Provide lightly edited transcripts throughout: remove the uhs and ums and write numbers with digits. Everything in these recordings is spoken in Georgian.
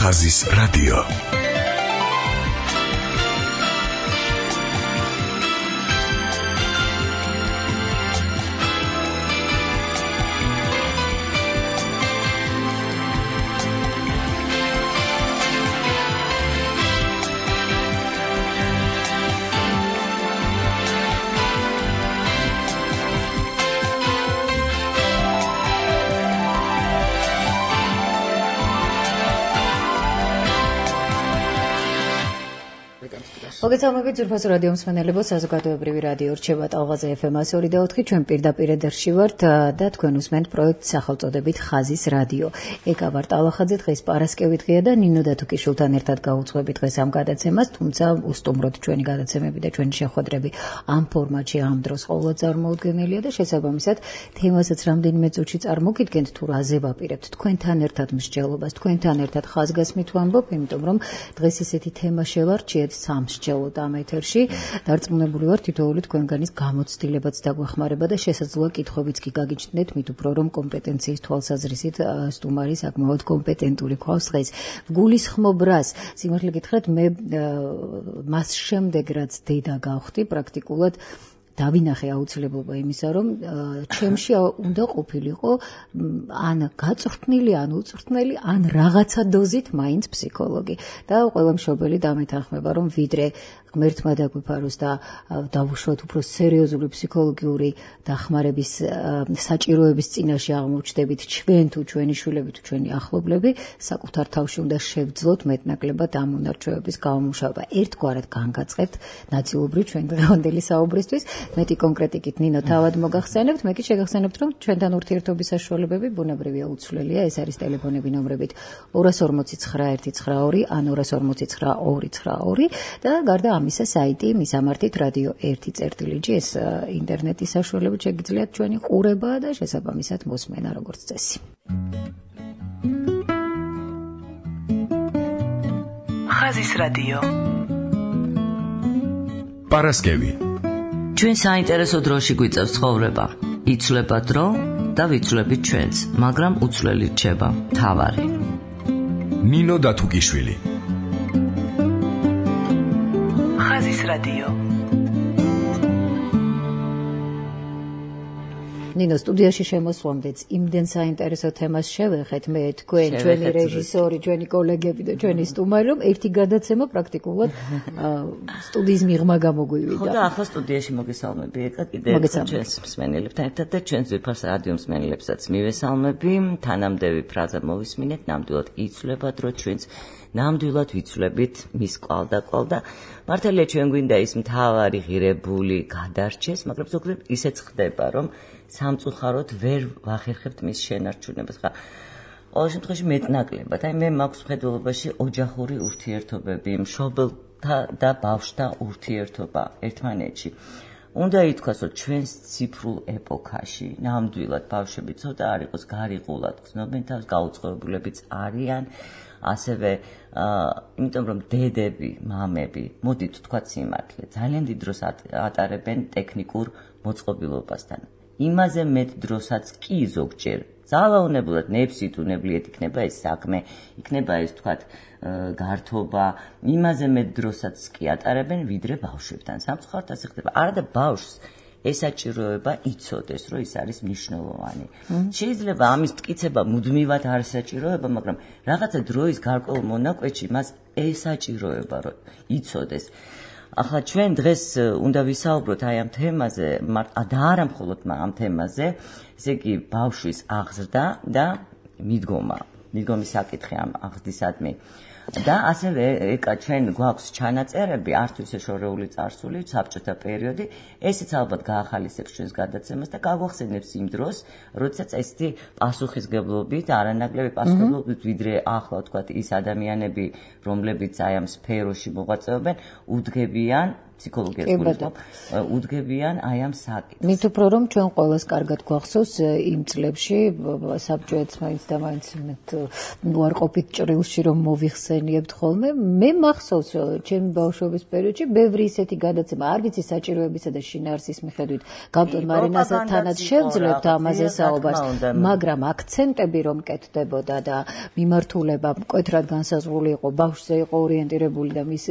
ხაზის რადიო. მოგესალმებით ძვირფასო რადიო მსმენელებო, საზოგადოებრივი რადიო რჩება ტალღაზე FM 102.4, ჩვენ პირდაპირ ეთერში ვართ და თქვენ უსმენთ პროექტ სახელწოდებით ხაზის რადიო. ეკა ვარ ტალახაძე, დღეს პარასკევი დღეა და ნინო დათუკიშვილთან ერთად გავუძღვებით დღეს ამ გადაცემას, თუმცა უსტუმროთ ჩვენი გადაცემები და ჩვენი შეხვედრები ამ ფორმატში ამ დროს ყოველდღე წარმოუდგენელია და შესაბამისად თემასაც რამდენიმე წუთში წარმოგიდგენთ თუ რაზე ვაპირებთ თქვენთან ერთად მსჯელობას, თქვენთან ერთად ხაზგასმით ვამბობ, იმიტომ რომ დღეს ესეთი თემა შევარჩიეთ სამსჯელო ამ ეთერში დარწმუნებული ვარ თითოეული თქვენგანის გამოცდილებაც დაგვეხმარება და შესაძლოა კითხვებიც კი გაგიჩნდეთ მით უფრო რომ კომპეტენციის თვალსაზრისით სტუმარი საკმაოდ კომპეტენტური გვყავს დღეს გულისხმობ რას სიმართლე გითხრათ მე მას შემდეგ რაც დედა გავხდი პრაქტიკულად დავინახე აუცილებლობა იმისა, რომ ჩემში უნდა ყოფილიყო ან გაწვრთნილი, ან უწვრთნელი, ან რაღაცა დოზით მაინც ფსიქოლოგი. და ყველა მშობელი დამეთანხმება, რომ ვიდრე ღმერთმა დაგვიფაროს და დავუშვათ უფრო სერიოზული ფსიქოლოგიური დახმარების საჭიროების წინაშე აღმოჩნდებით ჩვენ თუ ჩვენი შვილები თუ ჩვენი ახლობლები, საკუთარ თავში უნდა შევძლოთ მეტნაკლებად ამ უნარჩვევების გამომუშავება. ერთგვარად განგაწყებთ ნაწილობრივ ჩვენ დღევანდელი საუბრისთვის. მეტი კონკრეტიკით ნინო თავად მოგახსენებთ, მე კი შეგახსენებთ, რომ ჩვენთან ურთიერთობის საშუალებები ბუნებრივია უცვლელია. ეს არის ტელეფონები ნომრებით 240 ან 240 და გარდა ამისა საიტი მისამართით რადიო 1.წერტილიჯი ეს ინტერნეტის საშუალებით შეგიძლიათ ჩვენი ყურება და შესაბამისად მოსმენა როგორც წესი. ხაზის რადიო. პარასკევი. ჩვენ საინტერესო დროში გვიწევს ცხოვრება. იცვლება დრო და ვიცვლებით ჩვენც, მაგრამ უცვლელი რჩება მთავარი. ნინო დათუკიშვილი. ხაზის რადიო. ნინო სტუდიაში შემოსვლამდეც იმდენ საინტერესო თემას შევეხეთ მე თქვენ, ჩვენი რეჟისორი, ჩვენი კოლეგები და ჩვენი სტუმარი, რომ ერთი გადაცემა პრაქტიკულად სტუდიის მიღმა გამოგვივიდა. ხო და ახლა სტუდიაში მოგესალმები ეკა კიდევ ჩვენს მსმენელებთან ერთად და ჩვენს ძვირფას რადიო მსმენელებსაც მივესალმები. თანამდევი ფრაზა მოვისმინეთ, ნამდვილად იცვლება დრო ჩვენც ნამდვილად ვიცვლებით მის კვალ და მართალია ჩვენ გვინდა ის მთავარი ღირებული გადარჩეს, მაგრამ ზოგადად ისეც ხდება, რომ სამწუხაროდ ვერ ვახერხებთ მის შენარჩუნებას. ხა ყოველ შემთხვევაში მეტნაკლებად, აი მე მაქვს მხედველობაში ოჯახური ურთიერთობები, მშობელთა და ბავშვთა ურთიერთობა ერთმანეთში. უნდა ითქვას, რომ ჩვენს ციფრულ ეპოქაში ნამდვილად ბავშვები ცოტა არ იყოს გარიყულად, გრძნობენ თავს, გაუწყობლებიც არიან. ასევე იმიტომ რომ დედები, მამები, მოდით ვთქვათ სიმართლე, ძალიან დიდ დროს ატარებენ ტექნიკურ მოწყობილობასთან. იმაზე მეტ დროსაც კი ზოგჯერ ძალაუნებულად ნებსით უნებლიეთ იქნება ეს საქმე, იქნება ეს ვთქვათ გართობა, იმაზე მეტ დროსაც კი ატარებენ ვიდრე ბავშვებთან. სამწუხაროდ ასე ხდება. არა და ბავშვს ესაჭიროება იცოდეს, რომ ის არის მნიშვნელოვანი. შეიძლება ამის მტკიცება მუდმივად არ ესაჭიროება, მაგრამ რაღაცა დროის გარკვეულ მონაკვეთში მას ესაჭიროება, რომ იცოდეს. ახლა ჩვენ დღეს უნდა ვისაუბროთ აი ამ თემაზე, და არა მხოლოდ ამ თემაზე, ესე იგი ბავშვის აღზრდა და მიდგომის საკითხი ამ აღზრდისადმი. და ასევე ეკა ჩვენ გვაქვს ჩანაწერები, არც ისე შორეული წარსული, საბჭოთა პერიოდი, ესეც ალბათ გაახალისებს ჩვენს გადაცემას და გაგვახსენებს იმ დროს, როდესაც ესეთი პასუხისგებლობით, არანაკლები პასუხისგებლობით, ვიდრე ახლა ვთქვათ ის ადამიანები, რომლებიც აი ამ სფეროში მოღვაწეობენ, უდგებიან ფსიქოლოგიას გულისხმობ, უდგებიან აი ამ საკითხს. მით უფრო რომ ჩვენ ყოველს კარგად გვახსოვს იმ წლებში საბჭოეთს მაინც და მაინც უარყოფით ჭრილში რომ მოვიხსენიებთ ხოლმე, მე მახსოვს ჩემი ბავშვობის პერიოდში ბევრი ისეთი გადაცემა, არ ვიცი საჭიროებისა და შინაარსის მიხედვით გავტონ მარინასთანაც შევძლებთ ამაზე საუბარს, მაგრამ აქცენტები რომ კეთდებოდა და მიმართულება მკვეთრად განსაზღვრული იყო, ბავშვზე იყო ორიენტირებული და მის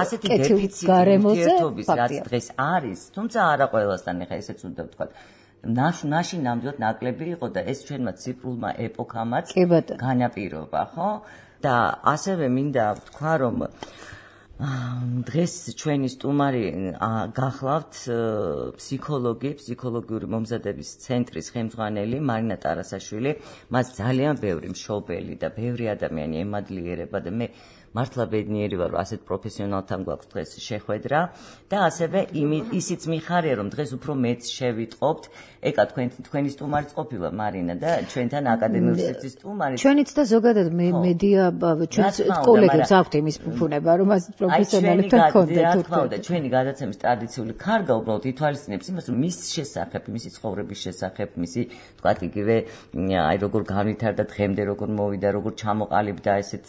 ასეთი დეფიციტი ურთიერთობის რაც დღეს არის, თუმცა არა ყველასთან, ეხა ესეც უნდა ვთქვათ. ნაში ნამდვილად ნაკლები იყო და ეს ჩვენმა ციფრულმა ეპოქამაც განაპირობა, ხო? და ასევე მინდა ვთქვა, რომ დღეს ჩვენი სტუმარი გახლავთ ფსიქოლოგიური მომზადების ცენტრის ხელმძღვანელი მარინა ტარასაშვილი. მას ძალიან ბევრი მშობელი და ბევრი ადამიანი ემადლიერება და მე მართლა ბედნიერი ვარ, რომ ასეთ პროფესიონალთან გვაქვს დღეს შეხვედრა და ასევე ისიც მიხარია, რომ დღეს უფრო მეც შევიტყობთ. ეკა თქვენი სტუმარიც ყოფილა მარინა და ჩვენთან აკადემიური სივრცის სტუმარი. ჩვენიც და ზოგადად მედია ჩვენს კოლეგებს აქვთ იმის ფუფუნება, რომ ასეთ პროფესიონალებთან გქონდეთ. რა თქმა უნდა, ჩვენი გადაცემის ტრადიციული ქარგა უბრალოდ ითვალისწინებს იმას, რომ მის შესახებ, მისი ცხოვრების შესახებ, მისი თქვათ იგივე აი როგორ განვითარდა დღემდე, როგორ მოვიდა, როგორ ჩამოყალიბდა ესეთ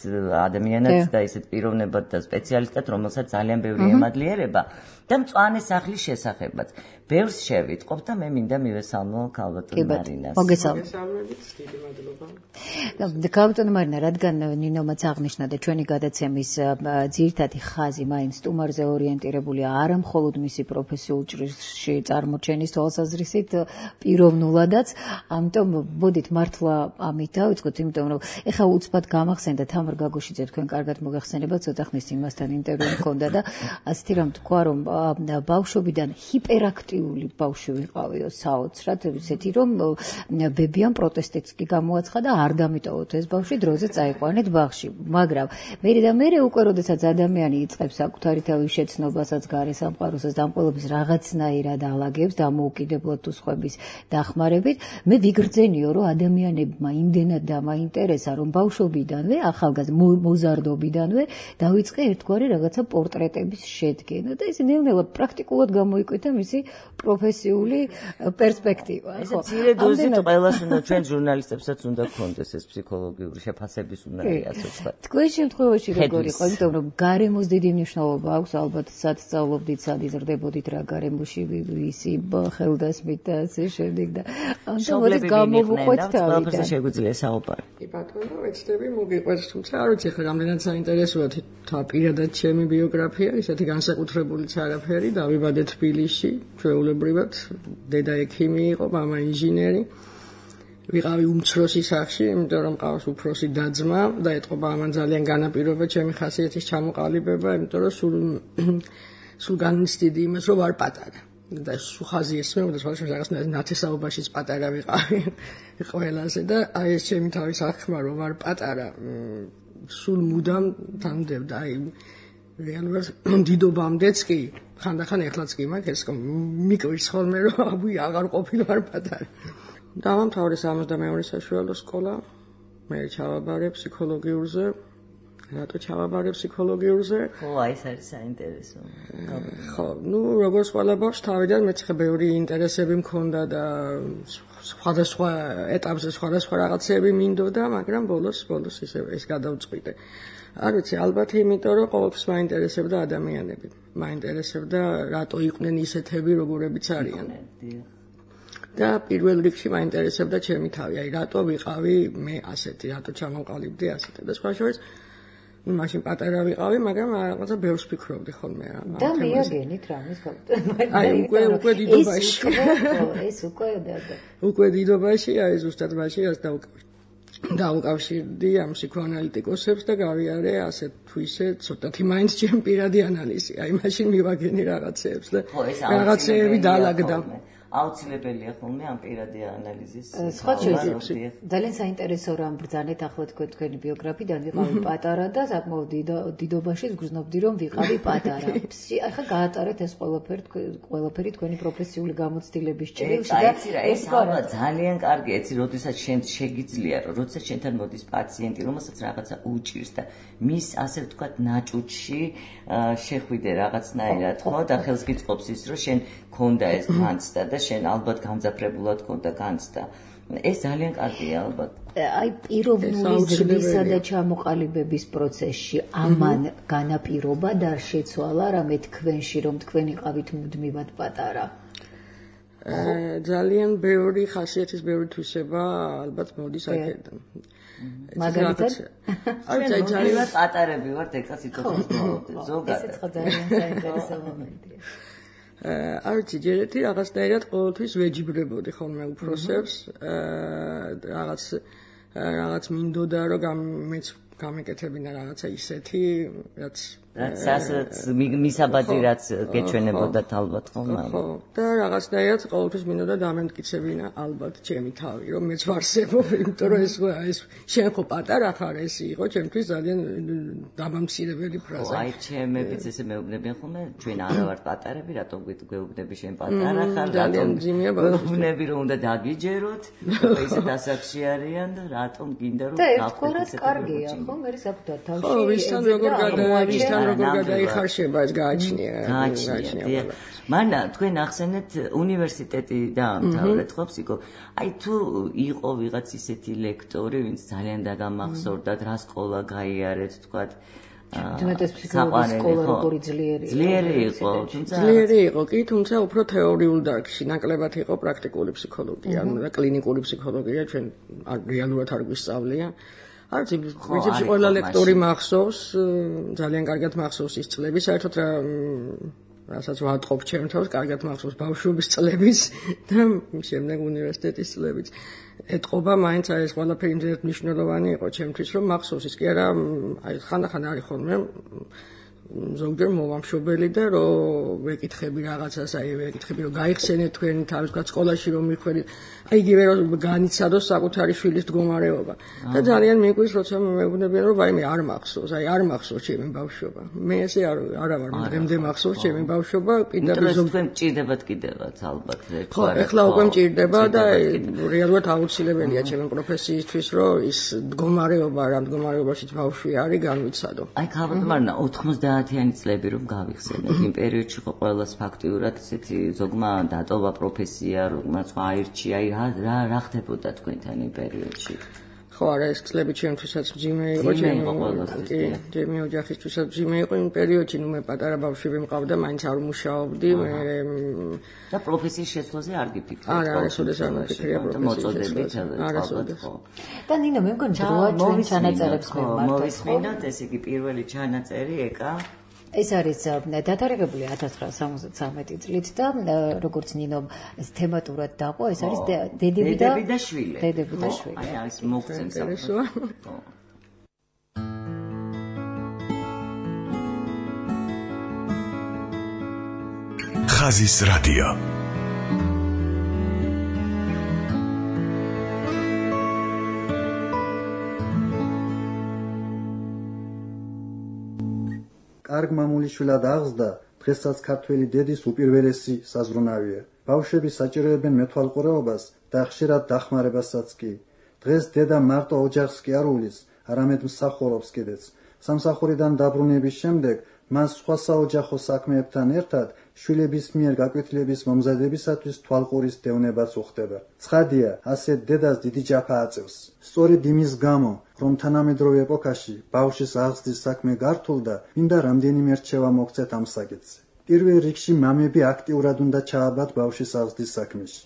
ადამიანად და ესეთ პიროვნებად და სპეციალისტად, რომელსაც ძალიან ბევრი ემადლიერება და მწვანე სახლის შესახებაც. ბევრს შევიტყობ და მე მინდა მივესალმო ქალბატონ მარინას. მოგესალმებით, დიდი მადლობა. ქალბატონ მარინა, რადგან ნინომაც აღნიშნა და ჩვენი გადაცემის ძირითადი ხაზი მაინც სტუმარზე ორიენტირებულია, არა მხოლოდ მისი პროფესიულ ჭრილში წარმოჩენის თვალსაზრისით, პიროვნულადაც, ამიტომ მოდით მართლა ამით დავიწყოთ, იმიტომ რომ ეხლა უცბად გამახსენდა თამარ გაგოშიძე, თქვენ კარგად მოგახსენებათ, ცოტა ხნის იმასთან ინტერვიუ მქონდა და ასეთი რამ თქვა, რომ ბავშვობიდან ჰიპერაქტიული ბავშვი ვიყავიო საოცრად, ისეთი რომ ბებიამ პროტესტიც კი გამოაცხადა და არ დამიტოვოთ ეს ბავშვი დროზე წაიყვანეთ ბაღში, მაგრამ მე უკვე როდესაც ადამიანი იწყებს საკუთარი თავის შეცნობასაც, გარესამყაროსაც და ამ ყველაფერს რაღაცნაირად ალაგებს დამოუკიდებლად თუ სხვების დახმარებით, მე ვიგრძენიო, რომ ადამიანებმა იმდენად დამაინტერესა, რომ ბავშვობიდანვე, ახალგაზრდა მოზარდობიდანვე დავიწყე ერთგვარი რაღაცა პორტრეტების შედგენა და ეს ნელ-ნელა პრაქტიკულად გამოიკვეთა მისი პროფესიული პერსპექტივა. ხო, ძირე დოზით ყველას უნდა, ჩვენ ჟურნალისტებსაც უნდა გქონდეს ეს ფსიქოლოგიური შეფასების უნარი, ასე ვთქვათ. თქვენ შემთხვევაში როგორ იყო, იმიტომ რომ გარემოს დიდი მნიშვნელობა აქვს, ალბათ სად სწავლობდით, სად იზრდებოდით, რა გარემოში ვისი ხელდასმით და ასე შემდეგ და ამიტომ გამოვუყვეთ თავიდან. შეგვიძლია საუბარი. კი ბატონო, ვეცდები მოგიყვეთ, თუმცა არ ვიცი ხა რამდენად საინტერესოა პირადად ჩემი ბიოგრაფია, ისეთი განსაკუთრებულიც არაფერი, დავიბადე თბილისში, ჩვეულებრივად, დედა ექიმი იყო, მამა ინჟინერი. ვიყავი უმცროსი სახლში, იმიტომ რომ მყავს უფროსი და-ძმა და ეტყობა ამან ძალიან განაპირობა ჩემი ხასიათის ჩამოყალიბება, იმიტომ რომ სულ განიცდიდი იმას, რომ ვარ პატარა. და ხაზი ესმეოდა, სხვადასხვა რაღაცნაირად ნათესაობაშიც პატარა ვიყავი ყველაზე და აი ეს ჩემი თავის აღქმა, რომ ვარ პატარა, სულ მუდამ თანდევდა, აი რეალურად დიდობამდეც კი, ხანდახან ეხლაც კი მაქვს ეს მიკვირს ხოლმე, რომ აბუი აღარ ყოფილვარ პატარა. დავამთავრე 62 საშუალო სკოლა, მე ჩავაბარე ფსიქოლოგიურზე. რატო ჩავაბარე ფსიქოლოგიურზე? ხო, ეს არის საინტერესო. ხო, როგორც ყველა ბავშვს თავიდან მეც ხე ბევრი ინტერესები მქონდა და სხვადასხვა ეტაპზე სხვადასხვა რაღაცები მინდოდა, მაგრამ ბოლოს ისე ეს გადავწყვიტე. არ ვიცი, ალბათ იმიტომ რომ ყოველთვის მაინტერესებდა ადამიანები. მაინტერესებდა რატო იყვნენ ისეთები, როგორებიც არიან. და პირველ რიგში მაინტერესებდა ჩემი თავი, აი რატო ვიყავი მე ასეთი, რატო ჩამოვყალიბდი ასეთი და სხვა შორის მაშინ პატარა ვიყავი, მაგრამ რაღაცა ბევრს ფიქრობდი ხოლმე რა. და მიაგენით რამის გაუტანე. აი უკვე დიდობაში. ეს უკვე დიდობაში, აი ზუსტად მაშინ რაც დაუკავშირდი ამ ფსიქოანალიტიკოსებს და გავიარე ასეთ თუ ისე ცოტათი მაინც ჩემი პირადი ანალიზი. აი მაშინ მივაგენი რაღაცეებს და რაღაცეები დაალაგდა. აუცილებელია ხოლმე ამ პირადი ანალიზის. სხვა ძალიან საინტერესო რამ ბრძანეთ ახლა თქვენი ბიოგრაფიიდან ვიყავი პატარა და საკმაოდ დიდობაში გრძნობდი რომ ვიყავი პატარა. ახლა გაატარეთ ეს ყველაფერი თქვენი პროფესიული გამოცდილების ჭრილში და ეს ალბათ ძალიან კარგი ეცი, როდესაც შენ შეგიძლია, როდესაც შენთან მოდის პაციენტი, რომელსაც რაღაცა უჭირს და მის ასე ვთქვათ ნაჭუჭში შეხვიდე რაღაცნაირად, ხო და ხელს გიწყობს ის, რომ შენ ქონდა ეს განცდა და შენ ალბათ გამძაფრებულად ქონდა განცდა. ეს ძალიან კარგია ალბათ. აი პიროვნული ზრდისა და ჩამოყალიბების პროცესში ამან განაპირობა და შეცვალა რამე თქვენში, რომ თქვენ იყავით მუდმივად პატარა. ძალიან ბევრი ხასიათის ბევრი თვისება ალბათ მოდის აქედან. მაგალითად, აი ძალიან პატარები ვართ ეხლა სიტუაციის ზოგადად. ესეც ძალიან საინტერესო მომენტია. არჩი ჯერეთი რაღაცნაირად ყოველთვის ვეჯიბრებოდი ხოლმე უფროსებს, რაღაც მინდოდა რომ მეც გამეკეთებინა რაღაცა ისეთი, რაც მისაბაძი რაც გეჩვენებოდათ ალბათ ხოლმე. ხო, და რაღაცნაირად ყოველთვის მინდოდა დამემტკიცებინა ალბათ ჩემი თავი, რომ მეც ვარსებობ, იმიტომ რომ ეს შენ ხო პატარა ხარ, ეს იყო ჩემთვის ძალიან დამამცირებელი ფრაზა. აი ჩემებიც ესე მეუბნებიან ხოლმე, ჩვენ არა ვართ პატარები, რატომ გვეუბნები შენ პატარა ხარ, რატომ გვეუბნები რომ უნდა დაგიჯეროთ, ისეთ ასაკში არიან და რატომ გინდა რომ გავხდეთ ესეთი კარგია, ხო, მე საკუთარ თავში. ხო, ვისთან როგორ გადაიჭრა როგორ გადაიხარშება ეს გააჩნია. მანდა თქვენ ახსენეთ უნივერსიტეტი დაამთავრეთ ხო ფსიქო. აი თუ იყო ვიღაც ისეთი ლექტორი, ვინც ძალიან დაგამახსოვრდათ, რა სკოლა გაიარეთ, თქვათ. თუმცა ფსიქოლოგიის სკოლა როგორი ძლიერი იყო, ძლიერი იყო, კი, თუმცა უფრო თეორიულ დარგში, ნაკლებად იყო პრაქტიკული ფსიქოლოგია, და კლინიკური ფსიქოლოგია, ჩვენ რეალურად არ გვისწავლია. არც ვიცი ყველა ლექტორი მახსოვს, ძალიან კარგად მახსოვს ის წლები, საერთოდ რასაც ვატყობ ჩემ თავს, კარგად მახსოვს ბავშვობის წლებიც და შემდეგ უნივერსიტეტის წლებიც. ეთყობა მაინც ეს ყველაფერი იმდენად მნიშვნელოვანი იყო ჩემთვის, რომ მახსოვს ის კი არა, აი ხანდახან არის ხოლმე ზოგჯერ მოვამშობელი და რომ ვეკითხები რაღაცას, აი ვეკითხები რომ გაიხსენეთ თქვენ თავის სკოლაში რომ მიხვედით, აი იგივე რომ განიცადოს საკუთარი შვილის მდგომარეობა. და ძალიან მიგვის როცა მეუბნებიან რომ აი მე არ მახსოვს, აი არ მახსოვს ჩემი ბავშვობა. მე ესე არა ვარ, დღემდე მახსოვს ჩემი ბავშვობა, პირდაპირ თქვენ მჭირდებათ კიდევაც ალბათ ერთ ხო, ეხლა უკვე მჭირდება და რეალურად აუცილებელია ჩემი პროფესიისთვის რომ ის მდგომარეობა, რა მდგომარეობაშიც ბავშვი არის, განვიცადო. აი ქალბატონმა 90-იანი წლები რომ გავიხსენებ, იმ პერიოდში ხო ყველას ფაქტიურად ესეთი ზოგმა დატოვა პროფესია, რომელსაც აირჩია, აი რა ხდებოდა თქვენთან იმ პერიოდში? ხო, არა, ეს წლები ჩემთვისაც მძიმე იყო, ჩემი ოჯახისთვისაც მძიმე იყო იმ პერიოდში, მე პატარა ბავშვები მყავდა, მაინც არ ვმუშაობდი, და პროფესიის შეცვლაზე არ გიფიქრეთ? არა, ესოდეს არ მიფიქრია პროფესიის შეცვლაზე. და ნინო, მე მგონი დროა ჩვენ ჩანაწერებს მივმართოთ. მოვისმინოთ, ესე იგი პირველი ჩანაწერი ეკა ეს არის დათარიღებული 1973 წლით და როგორც ნინომ ეს თემატურად დაყო, ეს არის დედები და შვილი. აი ეს მოგცემს საინტერესოა. ხაზის რადიო. კარგ მამულიშვილად აღზრდა დღესაც ქართველი დედის უპირველესი საზრუნავია. ბავშვები საჭიროებენ მეთვალყურეობას და ხშირად დახმარებასაც კი. დღეს დედა მარტო ოჯახს კი არ უვლის, არამედ მსახურობს კიდეც. სამსახურიდან დაბრუნების შემდეგ მას სხვა საოჯახო საქმეებთან ერთად შვილების მიერ გაკვეთილების მომზადებისათვის თვალყურის დევნებაც უხდება. ცხადია, ასეთ დედას დიდი ჯაფა აწევს. სწორედ იმის გამო, რომ თანამედროვე ეპოქაში ბავშვის აღზრდის საქმე გართულდა, მინდა რამდენიმე რჩევა მოგცეთ ამ საკითხზე. პირველ რიგში მამები აქტიურად უნდა ჩააბათ ბავშვის აღზრდის საქმეში.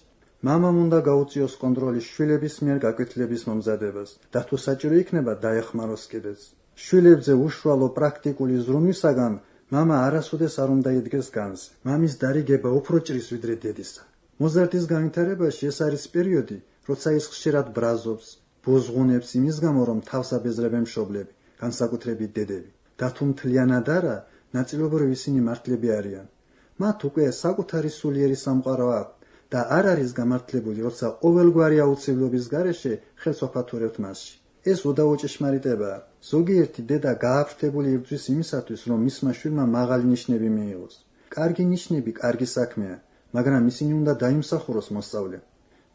მამამ უნდა გაუწიოს კონტროლი შვილების მიერ გაკვეთილების მომზადებას და თუ საჭირო იქნება დაეხმაროს კიდეც. შვილებზე უშუალო პრაქტიკული ზრუნვისაგან მამა არასოდეს არ უნდა იდგეს განზე. მამის დარიგება უფრო ჭრის ვიდრე დედისა. მოზარდის განვითარებაში ეს არის პერიოდი, როცა ის ხშირად ბრაზობს, ბოზღუნებს იმის გამო, რომ თავს აბეზრებენ მშობლები, განსაკუთრებით დედები. და თუ მთლიანად არა, ნაწილობრივ ისინი მართლები არიან. მათ უკვე საკუთარი სულიერი სამყარო აქვთ და არ არის გამართლებული, როცა ყოველგვარი აუცილებლობის გარეშე ხელს ვაფათურებთ მასში. ეს უდავო ჭეშმარიტებაა. ზოგიერთი დედა გააფრთებული იბრძვის იმისათვის, რომ მისმა შვილმა მაღალი ნიშნები მიიღოს. კარგი ნიშნები კარგი საქმეა, მაგრამ ისინი უნდა დაიმსახუროს მოსწავლე.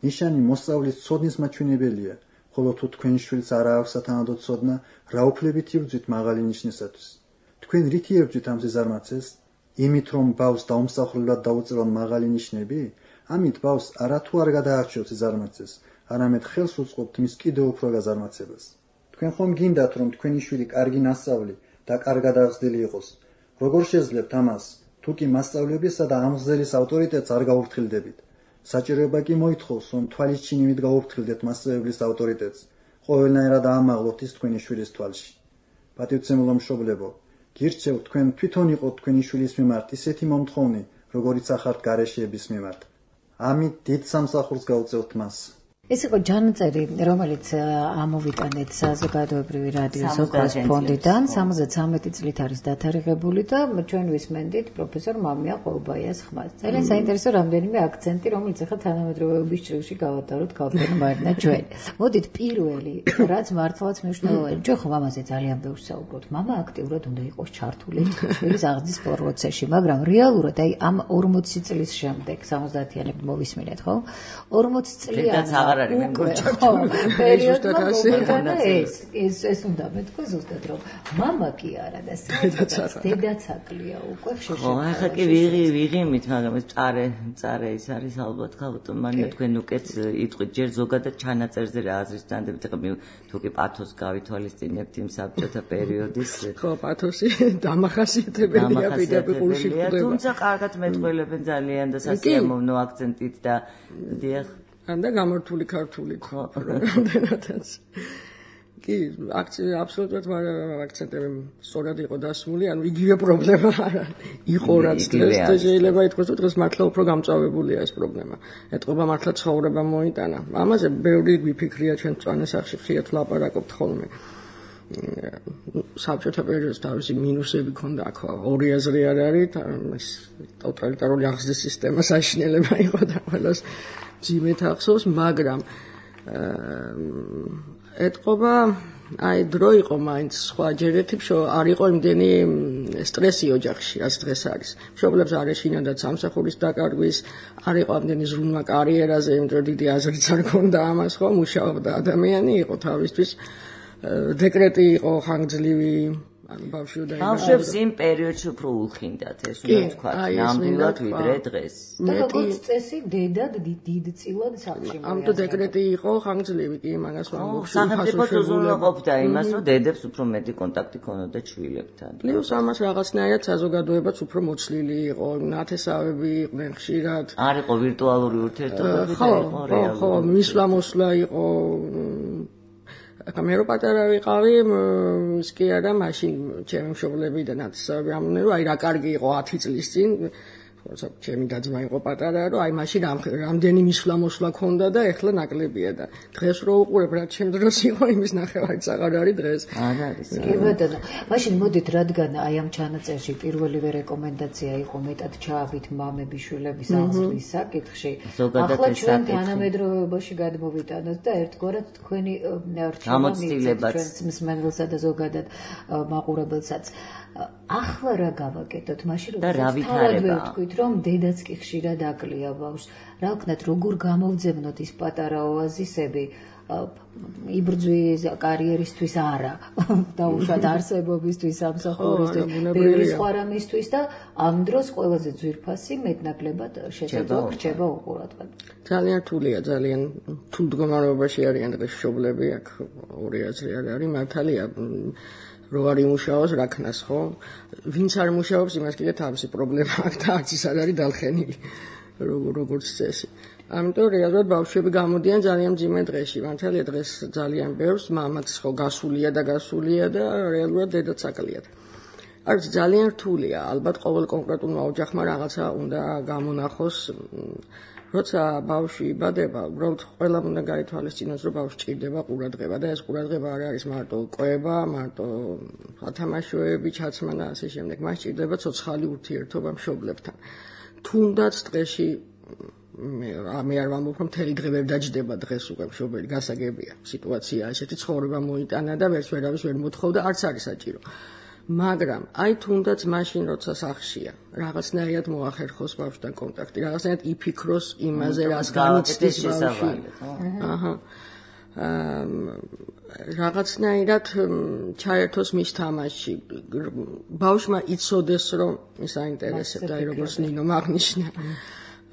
ნიშანი მოსწავლის ცოდნის მაჩვენებელია, ხოლო თუ თქვენ შვილს არ აქვს სათანადო ცოდნა, რა უფლებით იბრძვით მაღალი ნიშნისათვის? თქვენ რით იბრძვით ამ სიზარმაცეს? იმით, რომ ბავშვს დაუმსახურებლად დაუწევთ მაღალი ნიშნები? ამით ბავშვს არათუ არ გადაარჩევთ სიზარმაცეს, არამედ ხელს უწყობთ მის კიდევ უფრო გაზარმაცებას. თქვენ ხომ გინდათ, რომ თქვენი შვილი კარგი მასწავლი და კარგად აღზრდილი იყოს? როგორ შეძლებთ ამას, თუ კი მასწავლებისა და ამღზელის ავტორიტეტს არ გაუფრთხილდებით? საჭიროება კი მოითხოვს, რომ თვალის ჩინივით გაუფრთხილდეთ მასწავლებლის ავტორიტეტს, ყოველნაირად აამაღლოთ ის თქვენი შვილის თვალში. პატივცემულო მშობლებო, გირჩევთ თქვენ თვითონ იყოთ თქვენი შვილის მიმართ ისეთი მომთხოვნი, როგორიც ახართ გარეშეების მიმართ. ამით დიდ სამსახურს გაუწევთ მას. ეს იყო ჯანმრთელი, რომელიც ამოვიტანეთ საზოგადოებრივი რადიოს ოქროს ფონდიდან, 73 წლით არის დათარიღებული და ჩვენ ვისმენდით პროფესორ მამია ყოლბაიას ხმას. ძალიან საინტერესო რამდენიმე აქცენტი, რომელიც ახლა თანამედროვეობის ჭრილში გავატაროთ ქალბატონ მარინა ჩვენ. მოდით პირველი, რაც მართლაც მნიშვნელოვანია, ჩვენ ხომ ამაზე ძალიან ბევრს საუბრობთ. მამა აქტიურად უნდა იყოს ჩართული შვილის აღზრდის პროცესში, მაგრამ რეალურად აი ამ 40 წლის შემდეგ 70-იანებში მოვისმინეთ, ხო? 40 წლიანი ეს უნდა მეთქვა ზუსტად რომ მამა კი არა და დედაცაკლია უკვე ხშირ. ხო, ახლა კი ვიღიმით, მაგრამ ეს წარე ის არის ალბათ ქალბატონ მარინა თქვენ უკეთ იტყვით ჯერ ზოგადად ჩანაწერზე რა აზრის დანდებით, ახლა თუ კი პათოს გავითვალისწინებთ იმ საბჭოთა პერიოდის. ხო, პათოსი დამახასიათებელია პედაგოგიაში ხდება. თუმცა კარგად მეტყველებენ ძალიან და სასიამოვნო აქცენტით და დიახ და გამართული ქართულით რამდენადაც. კი, აბსოლუტურად აქცენტები სწორად იყო დასმული, ანუ იგივე პრობლემა არა იყო რაც დღეს და შეიძლება ითქვას, რომ დღეს მართლა უფრო გამწვავებულია ეს პრობლემა. ეტყობა მართლა ცხოვრება მოიტანა. ამაზე ბევრი გვიფიქრია ჩვენ მწვანე სახში ხიათ ვლაპარაკობთ ხოლმე. საბჭოთა პერიოდს თავისი მინუსები ქონდა, აქ ორი აზრი არ არის, ეს ტოტალიტარული აღზრდის სისტემა საშინელება იყო და ყველას ძიმეთ ახსოვს, მაგრამ ეტყობა აი დრო იყო მაინც სხვა ჯერეთი არ იყო იმდენი სტრესი ოჯახში, რაც დღეს არის. მშობლებს არ ეშინოდათ სამსახურის დაკარგვის, არ იყო ამდენი ზრუნვა კარიერაზე, იმიტომ რომ დიდი აზრიც არ ქონდა ამას, ხო, მუშაობდა ადამიანი, იყო თავისთვის დეკრეტი იყო ხანგრძლივი, ანუ ბავშვებს იმ პერიოდში უფრო უხინდათ, ეს უნდა თქვა, ნამდვილად ვიდრე დღეს. და როგორც წესი, დედად დიდწილად სახლში. ამიტომ დეკრეტი იყო ხანგრძლივი, კი, მაგას ვამბობ. სახელმწიფოც უზრუნველყოფდა იმას, რომ დედებს უფრო მეტი კონტაქტი ქონოდა ჩვილებთან. პლუს ამას რაღაცნაირად საზოგადოებაც უფრო მოცლილი იყო, ნათესავები იყვნენ ხშირად. არ იყო ვირტუალური ურთიერთობები და იყო რეალური. ხო, მისვლა-მოსვლა იყო. მე რო პატარა ვიყავი, ის კი არა, მაშინ ჩემი მშობლები და ნათესავები ამბობდნენ, რომ აი რა კარგი იყო 10 წლის წინ, ჩემი დაძმა იყო პატარა, რომ აი მაშინ რამდენი მისვლა-მოსვლა ქონდა და ეხლა ნაკლებია და დღეს რო უყურებ, რაც ჩემ დროს იყო, იმის ნახევარიც აღარ არის დღეს. არ არის. კი ბატონო, მაშინ მოდით, რადგან აი ამ ჩანაწერში პირველივე რეკომენდაცია იყო მეტად ჩააბით მამები შვილების აღზრდის საკითხში. ახლა ჩვენ თანამედროვეობაში გადმოვიტანოთ და ერთგვარად თქვენი რჩევა მივცეთ ჩვენს მსმენელსა და ზოგადად მაყურებელსაც. ახლა რა გავაკეთოთ, მაშინ რომ თქვით, რომ დედაც კი ხშირად აკლია ბავშვს. რა ვქნათ, როგორ გამოვძებნოთ ის პატარა ოაზისები იბრძვის კარიერისთვის არა, დაუშვათ არსებობისთვის, სამსახურისთვის, ბევრი სხვა რამისთვის და ამ დროს ყველაზე ძვირფასი მეტნაკლებად შესაძლო რჩება უყურადღება. ძალიან რთულია, ძალიან რთულ მდგომარეობაში არიან დღეს მშობლები, აქ ორი აზრი არ არის, მართალია. რო არ იმუშაოს, რა ქნას, ხო? ვინც არ მუშაობს, იმას კიდე თავისი პრობლემა აქვს და არც ის არ არის დალხენილი, როგორც წესი. ამიტომ რეალურად ბავშვები გამოდიან ძალიან მძიმე დღეში. მართალია დღეს ძალიან ბევრს მამაც ხო გასულია და რეალურად დედაც აკლიათ. არის ძალიან რთულია, ალბათ ყოველ კონკრეტულმა ოჯახმა რაღაცა უნდა გამონახოს. როცა ბავშვი იბადება, უბრალოდ ყველამ უნდა გაითვალისწინოს, რომ ბავშვი ჭირდება ყურადღება და ეს ყურადღება არ არის მარტო კვება, მარტო სათამაშოები, ჩაცმა და ასე შემდეგ. მას ჭირდება ცოცხალი ურთიერთობა მშობლებთან. თუნდაც დღეში მე არ ვამბობ რომ მთელი დღე ვერ დაჯდება დღეს უკვე მშობელი გასაგებია სიტუაცია ესეთი ცხოვრება მოიტანა და ვერავის ვერ მოთხოვდა არც არის საჭირო მაგრამ აი თუნდაც მაშინ როცა სახშია რაღაცნაირად მოახერხოს ბავშვთან კონტაქტი რაღაცნაირად იფიქროს იმაზე რას განიცდის ბავშვი აჰა რაღაცნაირად ჩაერთოს მის თამაშში ბავშვმა იცოდეს რომ ის აინტერესებდა აი როგორც ნინო მაგნიშნა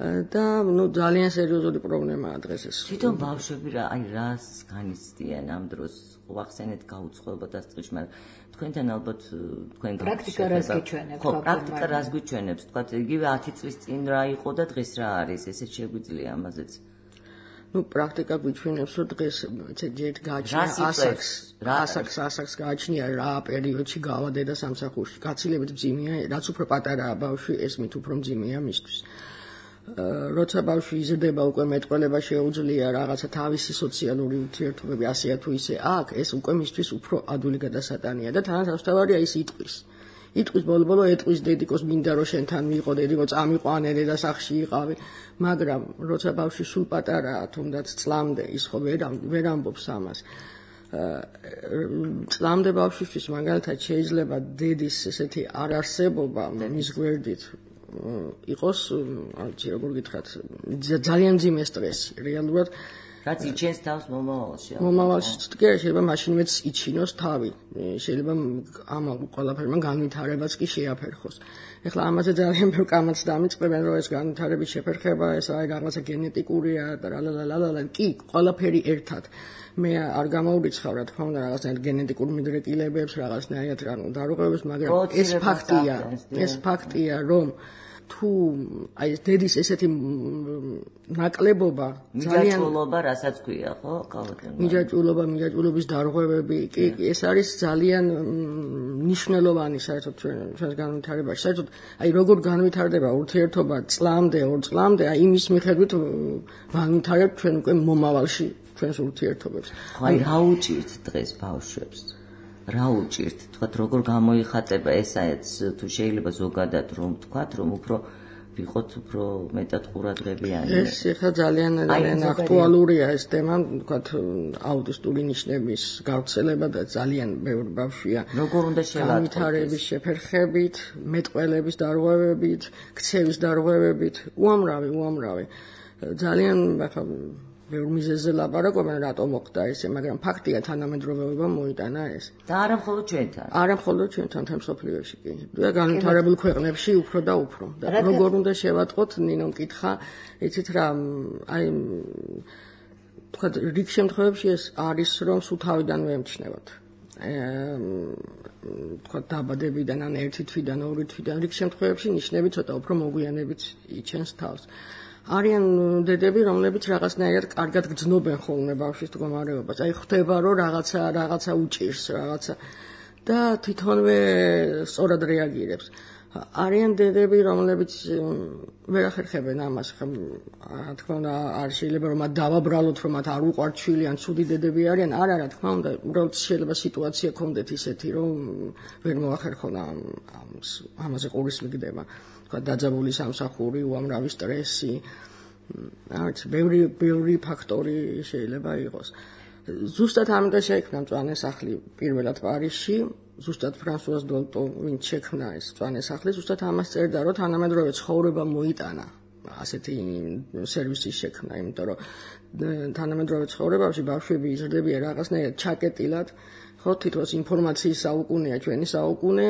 და ნუ ძალიან სერიოზული პრობლემაა დღეს ეს. თვითონ ბავშვები რა აი რას განიცდიან ამ დროს ვახსენეთ გაუცხოება დასწრებში, მაგრამ თქვენთან ალბათ თქვენ პრაქტიკა რას გიჩვენებს? ხო, პრაქტიკა რას გიჩვენებს? თქვათ იგივე 10 წლის წინ რა იყო და დღეს რა არის? ესეც შეგვიძლია ამაზეც. ნუ პრაქტიკა გიჩვენებს რომ დღეს ჯერ გააჩნია ასაკს გააჩნია რა პერიოდში გავა დედა სამსახურში. გაცილებით მძიმეა, რაც უფრო პატარაა ბავშვი, ეს მით უფრო მძიმეა მისთვის. როცა ბავშვი იზრდება უკვე მეტყველება შეუძლია რაღაცა თავისი სოციალური ურთიერთობები ასეა თუ ისე აქვს ეს უკვე მისთვის უფრო ადვილი გადასატანია და თანაც ავსთავარია ის იტყვის ბოლო ეტყვის დედიკოს მინდა რომ შენთან მიყო დედიკო წამიყვანე და სახში იყავი მაგრამ როცა ბავშვი სულ პატარაა თუნდაც წლამდე ის ხო ვერ ამბობს ამას წლამდე ბავშვისთვის მაგალითად შეიძლება დედის ესეთი არარსებობა მის გვერდით იყოს, არც როგორ გითხრათ, ძალიან მძიმე სტრესი. რეალურად რაც იჩენს თავს მომავალში. მომავალში კი შეიძლება მაშინვეც იჩინოს თავი. შეიძლება ამ ყველაფერმა განვითარებაც კი შეაფერხოს. ეხლა ამაზე ძალიან ბევრ კამათს დამიწყებენ, რომ ეს განვითარების შეფერხება, ეს აი რაღაცა გენეტიკურია და ლალალალალა, კი, ყველაფერი ერთად. მე არ გამოვრიცხავ რა თქმა უნდა რაღაცნაირად გენეტიკურ მიდრეკილებებს, რაღაცნაირად დარღვევებს, მაგრამ ეს ფაქტია, რომ თუ აი დედის ესეთი ნაკლებობა ძალიან მიჯაჭვულობა რასაც ქვია ხო კალათემ მიჯაჭვულობის დარღვევები კი ეს არის ძალიან მნიშვნელოვანი საერთოდ ჩვენს განვითარებაში საერთოდ აი როგორ განვითარდება ურთიერთობა წლამდე 2 წლამდე აი იმის მიხედვით განვითარებთ ჩვენ უკვე მომავალში ჩვენს ურთიერთობებს აი რა უჭირთ დღეს ბავშვებს რა უჭირთ თქვათ როგორ გამოიხატება ესეც თუ შეიძლება ზოგადად რომ თქვათ რომ უფრო ვიყოთ უფრო მეტად ყურადღებიანი ეს ხა ძალიან აქტუალურია ეს თემა თქვათ აუტისტური ნიშნების გავრცელება და ძალიან ბევრი ბავშვია როგორ უნდა შევატყოთ განვითარების შეფერხებით მეტყველების დარღვევებით ქცევის დარღვევებით უამრავი ძალიან ახლა ბევრ მიზეზზე ლაპარაკობენ რატომ მოხდა ესე მაგრამ ფაქტია თანამედროვეობა მოიტანა ეს და არა მხოლოდ ჩვენთან თემ სოფლიოში კი და განვითარებულ ქვეყნებში უფრო და უფრო და როგორ უნდა შევატყოთ ნინო მკითხა იცით რა აი თქვა რიგ შემთხვევებში ეს არის რომ სულ თავიდანვე ემჩნევათ თქვა დაბადებიდან ან ერთი თვიდან ორი თვიდან რიგ შემთხვევებში ნიშნები ცოტა უფრო მოგვიანებით იჩენს თავს არიან დედები, რომლებიც რაღაცნაირად კარგად გრძნობენ ხოლმე ბავშვის მდგომარეობას. აი ხვდება, რომ რაღაცა უჭირს, რაღაცა და თვითონვე სწორად რეაგირებს. არიან დედები, რომლებიც ვერ ახერხებენ ამას, რა თქმა უნდა, არ შეიძლება რომ მათ დავაბრალოთ, რომ მათ არ უყვართ შვილი, ან ცუდი დედები არიან. არა, რა თქმა უნდა, უბრალოდ შეიძლება სიტუაცია კონდეთ ისეთი, რომ ვერ მოახერხონ ამაზე ყურის მიგდება. დაძაბული სამსახური, უამრავი სტრესი, არც ბევრი ფაქტორი შეიძლება იყოს. ზუსტად ამიტომ შექმნა მწვანე სახლი პირველად პარიზში, ზუსტად ფრანსუაზ დოლტო ვინც შექმნა ეს მწვანე სახლი, ზუსტად ამას წერდა, რომ თანამედროვე ცხოვრება მოიტანა ასეთი სერვისის შექმნა, იმიტომ რომ თანამედროვე ცხოვრებაში ბავშვები იზრდებიან რაღაცნაირად ჩაკეტილად, ხო, თითქოს ინფორმაციის საუკუნეა ჩვენი საუკუნე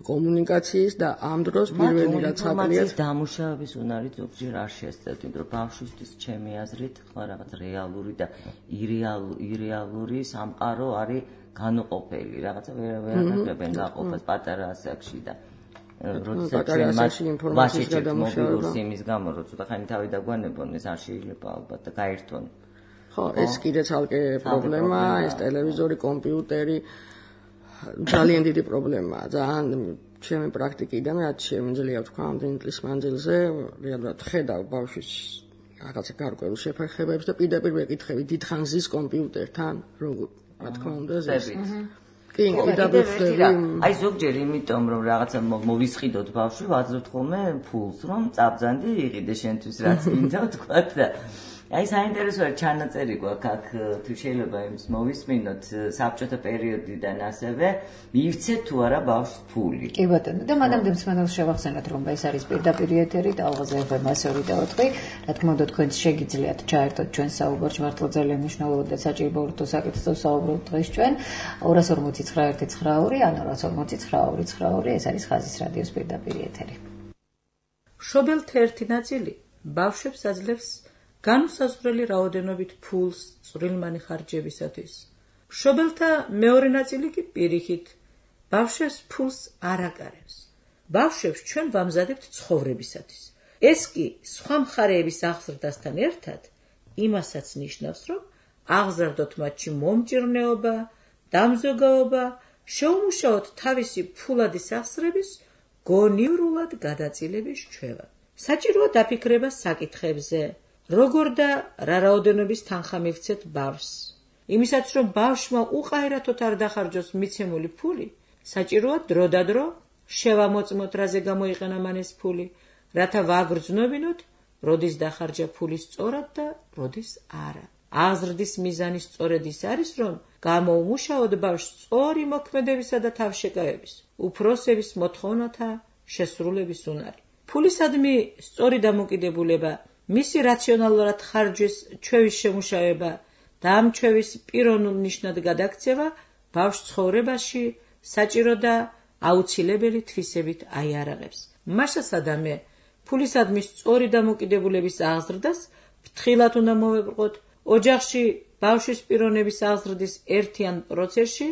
კომუნიკაციის და ამ დროს პირველი რაც აკლიათ დამუშავების უნარი ზოგჯერ არ შეესწევთ, იმიტომ რომ ბავშვისთვის ჩემი აზრით ხო რაღაც რეალური და ირეალური სამყარო არის განუყოფელი, რაღაცა ვერ გაყოფას პატარა ასაკში და როდესაც ჩვენ მას ინფორმაციის გადამუშავება იმის გამო რომ ცოტა ხანი თავი დაგვანებონ ეს არ შეიძლება ალბათ და გაერთონ. ხო, ეს კიდე ცალკე პრობლემაა, ეს ტელევიზორი, კომპიუტერი ძალიან დიდი პრობლემაა. ძალიან ჩემი პრაქტიკიდან რაც შემიძლია თქვა ამდენი წლის მანძილზე, რეალურად ხედავ ბავშვის რაღაცა გარკვეულ შეფერხებებს და პირდაპირ ვეკითხები დიდხანს ზის კომპიუტერთან, რა თქმა უნდა, ზის. კი, დაგვიხვდები. აი ზოგჯერ იმიტომ რომ რაღაცა მოვისყიდოთ ბავშვი, ვაძლევთ ხოლმე ფულს, რომ წაბძანდი იყიდე შენთვის რაც მინდა თქვათ და აი საინტერესოა ჩანაწერი გვაქვს აქ თუ შეიძლება იმის მოვისმინოთ საბჭოთა პერიოდიდან ასევე მივცეთ თუ არა ბავშვს ფული. კი ბატონო და მანამდე მსმენელს შევახსენოთ რომ ეს არის პირდაპირ ეთერი ტალღაზე FM 102.4 რა თქმა უნდა თქვენც შეგიძლიათ ჩაერთოთ ჩვენ საუბარში მართლა ძალიან მნიშვნელოვანი და საჭირო ურთო საკითხზე საუბრობთ დღეს ჩვენ 249 ან 249 ეს არის ხაზის რადიოს პირდაპირ ეთერი. მშობელთა ერთი ნაწილი ბავშვებს აძლევს განუსაზღვრელი რაოდენობით ფულს წვრილმანი ხარჯებისათვის. მშობელთა მეორე ნაწილი კი პირიქით ბავშვებს ფულს არ აკარებს. ბავშვებს ჩვენ ვამზადებთ ცხოვრებისათვის. ეს კი სხვა მხარეების აღზრდასთან ერთად იმასაც ნიშნავს, რომ აღზარდოთ მათში მომჭირნეობა, დამზოგაობა, შეუმუშაოთ თავისი ფულადი სახსრების გონივრულად გადაწილების ჩვევა. საჭიროა დაფიქრება საკითხებზე, როგორ და რა რაოდენობის თანხა მივცეთ ბავშვს. იმისაც რომ ბავშვმა უყაირათოდ არ დახარჯოს მიცემული ფული, საჭიროა დროდადრო შევამოწმოთ რაზე გამოიყენა მან ეს ფული, რათა ვაგრძნობინოთ, როდის დახარჯა ფული სწორად და როდის არა. აღზრდის მიზანი სწორედ ის არის, რომ გამოუმუშაოთ ბავშვს სწორი მოქმედებისა და თავშეკავების, უფროსების მოთხოვნათა შესრულების უნარი. ფულისადმი სწორი დამოკიდებულება, მისი რაციონალურად ხარჯვის ჩვევის შემუშავება და ამ ჩვევის პიროვნულ ნიშნად გადაქცევა ბავშვს ცხოვრებაში საჭირო და აუცილებელი თვისებით აიარაღებს. მაშასადამე ფულისადმი სწორი დამოკიდებულების აღზრდას ფრთხილად უნდა მოვებრყოთ. ოჯახში ბავშვის პიროვნების აღზრდის ერთიან პროცესში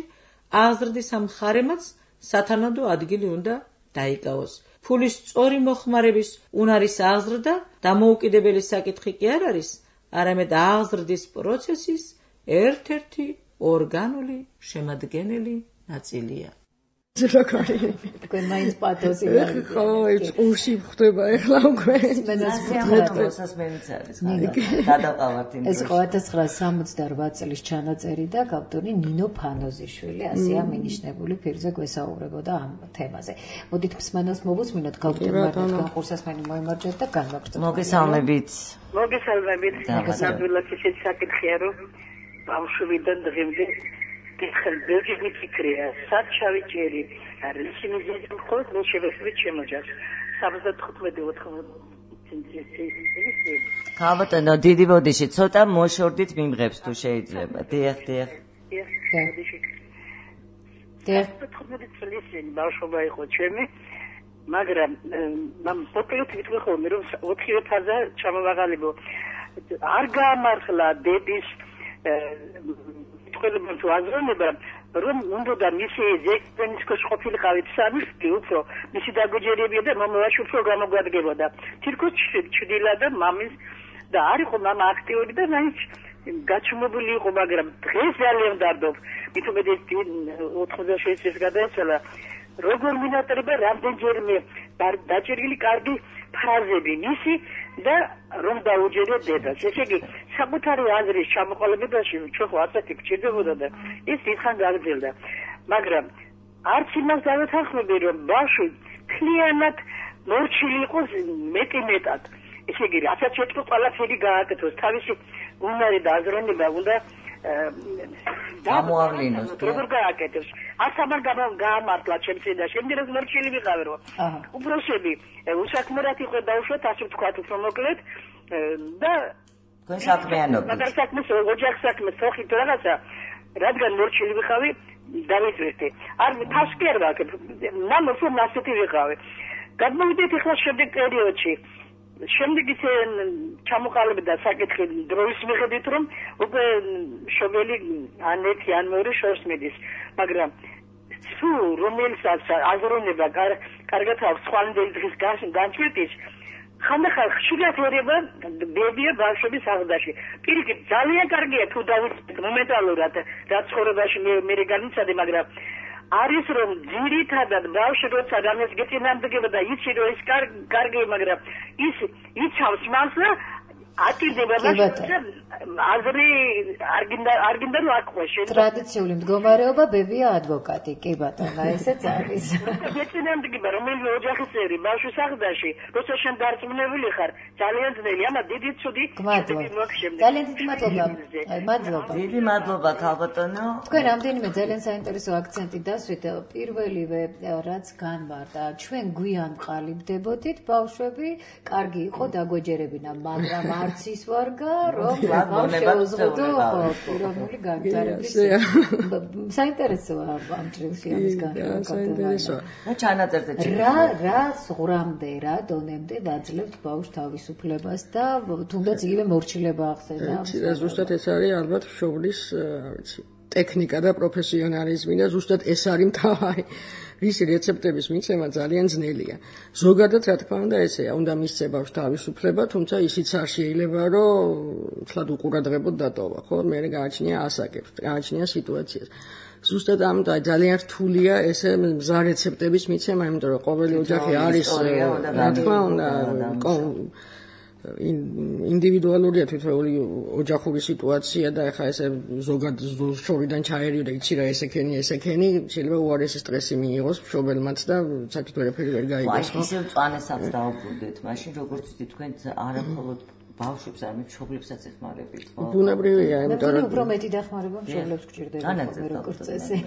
აღზრდის ამ მხარემაც სათანადო ადგილი უნდა დაიკავოს. ფულის სწორი მოხმარების უნარის აღზრდა დამოუკიდებელი საკითხი კი არ არის, არამედ აღზრდის პროცესის ერთ-ერთი ორგანული შემადგენელი ნაწილია. თქვენ მაინც პათოსი ხო, წყურში ხდება ახლა უკვე. მოსასმენიც არის. გადაყავართ იმ ეს 1968 წლის ჩანაწერი და ავტორი ნინო ფანოზიშვილი, ასეა მინიშნებული ფირზე გვესაუბრებოდა ამ თემაზე. მოდით მსმენელს მოვუსმინოთ, გავდივართ განხურსასმენი მოიმარჯვეთ და განვაგრძელოთ. მოგესალმებით. მოგესალმებით. ნამდვილად ისეთი საკითხია, რომ ბავშვიდან დღემდე ხელბერგი მიფიქრია, სად ჩავიჭერი, არის იმედი ხოლმე მე შევეცდით შემოჯას. 75-80 ქალბატონო, დიდი ბოდიში, ცოტა მოშორდით მიმღებს თუ შეიძლება. დიახ. დიახ. 15 წლის ბავშვობა იყო ჩემი, მაგრამ მამ პოკლეთ ვიტყვი ხოლმე რომ 4 ფაზა ჩამოვაღალებო. არ გაამართლა დედის ყველამ თუ აზროვნება რომ უნდა მისი ზექენისკოს ყოფილიყავით სამი უფრო მისი დაგოჯერებია და მამალაში უფრო გამოგვადგებოდა თირკუჩ ჩდილა და მამის და არ იყო მამა აქტიური და მაინც გაჩუმებული იყო მაგრამ დღეს ძალიან დარდობ მithumedes 86 წელს გადაეცალა როგორ მინატრება რამდენჯერმე დაჭერილი კარგი ფრაზები მისი და რომ დაუჯერე დედას. ესე იგი, საკუთარი აზრის ჩამოყალიბებაში ჩვენ ხო ასეთი გჭირდებოდა და ის დიდხან გაგრძელდა. მაგრამ არც იმას დავეთანხმები, რომ ბავშვი მთლიანად მორჩილი იყოს მეტად. ესე იგი, რასაც შეტყო ყველაფერი გააკეთოს, თავისი უნარი და აზროვნება უნდა გამოავლინოს. როგორ გააკეთოს? ასამარ გაამართლა ჩემს წინაშე, იმდენად მორჩილი ვიყავი რომ უბრალოდ უსაქმრად იყო დაუშვათ, ასე ვთქვათ, უფრო მოკლედ და თქვენ საქმიანობით. მაგრამ საქმეს ოჯახ საქმეს ხოხით რაღაცა, რადგან მორჩილი ვიყავი, დავიწვევდი. არ თავს კი არ ვაკეთებ. მამ უფრო მასეთი ვიყავი. გადმოვიდეთ ახლა შემდეგ პერიოდში. შემდეგ ისე ჩამოყალიბდა საკითხი დროის მიხედვით რომ უკვე შობელი ან ერთი ან მეორე შორს მიდის მაგრამ თუ რომელსაც აზროვნება კარგად აქვს სხვანაირი დღის განჩვენების ხანდახან ხშირად ერება ბებია ბავშვების აღზრდაში პირიქით ძალიან კარგია თუ დავიწყოთ მომენტალურად რაც ცხოვრებაში მე განიცადე მაგრამ არის რომ ძირითადად ბავშვი როცა დამესგეთინამდგება და იცი რომ ეს კარგი მაგრამ ის იცავს მას და ატირდება აზრი არ გინდა რომ აკვე შენ ტრადიციული მდგომარეობა ბებია ადვოკატი კი ბატონო ესეც არის მეცინამდე რომელიც ოჯახის წევრი ბავშვის სახლდაში როცა შენ დარწმუნებული ხარ ძალიან ძნელი ამა დიდი ცუდი ძალიან დიდი მადლობა დიდი მადლობა ქალბატონო თქვენ რამდენიმე ძალიან საინტერესო აქცენტი დასვით პირველივე რაც განმარტა ჩვენ გვიან ყალიბდებოდით ბავშვები კარგი იყო დაგვეჯერებინა მაგრამ არც ის ვარგა რომ შეუზღუდო პიროვნული განვითარების საინტერესოა ამ ჭრილში ამის განმარტება და ჩანაწერზე რა ზღვრამდე რა დონემდე ვაძლევთ ბავშვ თავისუფლებას და თუნდაც იგივე მორჩილება ახსენდა ზუსტად ეს არის ალბათ მშობლის ტექნიკა და პროფესიონალიზმი და ზუსტად ეს არის მთავარი რისი რეცეპტების მიცემა ძალიან ძნელია. ზოგადად რა თქმა უნდა ესეა, უნდა მისცე ბავშვს თავისუფლება, თუმცა ისიც არ შეიძლება, რომ თლად უყურადღებოდ დატოვა, ხო? მე გააჩნია ასაკებს, გააჩნია სიტუაციას. ზუსტად ამ და ძალიან რთულია ესე მზა რეცეპტების მიცემა, იმიტომ რომ ყოველი ოჯახი არის რა თქმა უნდა ინდივიდუალურია თვითონული ოჯახური სიტუაცია და ეხლა ესე ზოგადად შორიდან ჩაერიო და იცი რა ესექენი შეიძლება უარესი სტრესი მიიღოს მშობელმაც და საერთოდ ვერაფერი ვერ გაიგოს ხო? ისევ წვანესაც დაუბრუნდეთ, მაშინ როგორც ვთქვით თქვენ არამხოლოდ ბავშვებს, არამედ მშობლებსაც ეხმარებით, ხო? ბუნებრივია, იმიტომ რომ უფრო მეტი დახმარება მშობლებს გჭირდება როგორც წესი.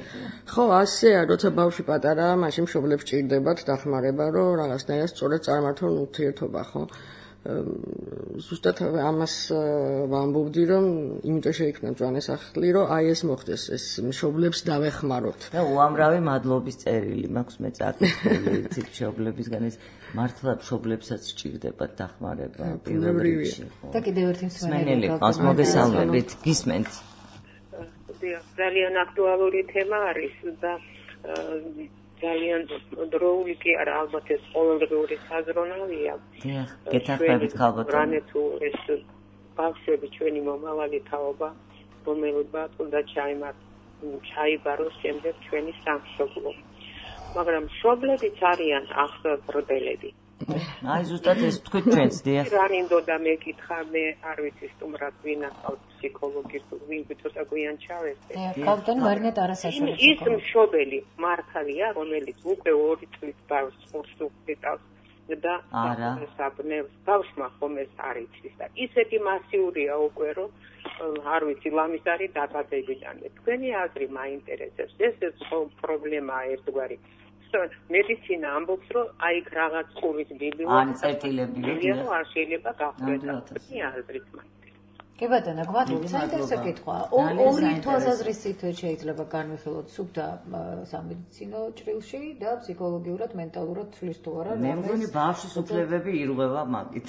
ხო, ასეა, როცა ბავშვი პატარაა, მაშინ მშობლებს ჭირდებათ დახმარება, რომ რაღაცნაირად სწორად წარმართონ ურთიერთობა, ხო? ზუსტად ამას ვამბობდი, რომ იმიტომ შეიქმნა მწვანესახლი, რომ აი ეს მოხდეს, ეს მშობლებს დავეხმაროთ. და უამრავი მადლობის წერილი მაქვს მე წაკითხული მშობლებისგან ეს მართლა მშობლებსაც სჭირდებათ დახმარება პირველ რიგში. და კიდევ ერთი მსმენელი ყავს მოგესალმებით, გისმენთ. ძალიან აქტუალური თემა არის და ძალიან დროული კი არა, ალბათ ეს ყოველდღიური საზრუნავია. დიახ, გეთანხმებით ქალბატონო. რანე თუ ეს ბავშვები ჩვენი მომავალი თაობა, რომელებაც უნდა ჩაიბაროს შემდეგ ჩვენი სამშობლო. მაგრამ მშობლებიც არიან აღზრდელები. აი ზუსტად ეს თქვით ჩვენც, დიახ. რანინდოდა მეკითხა, მე არ ვიცი სტუმრად ვინ ახალ ფსიქოლოგის ვინ ცოტა გვიან ჩავესწრე. ქალბატონი მარინე ტარასაშვილი. ის მშობელი მართალია, რომელიც უკვე 2 წლის ბავშვს ყურს უყრიტავს და საბნევს ბავშვმა ხომ ეს არ იცის და ისეთი მასიურია უკვე რომ არ ვიცი ლამის არის დაბადებიდან. თქვენი აზრი მაინტერესებს. ეს პრობლემაა ერთგვარი. მედიცინა ამბობს, რომ აი რაღაც ყურის ბიბლიო ან წერტილები არ შეიძლება გახდეს. თქვენი აზრით კი ბატონო, გვაქვს საინტერესო კითხვა. ორი თვალსაზრისით შეიძლება განვიხილოთ სუფთა სამედიცინო ჭრილში და ფსიქოლოგიურად, მენტალურად ცვლის თუ არა. მე მგონი ბავშვის უფლებები ირღვევა მაგით.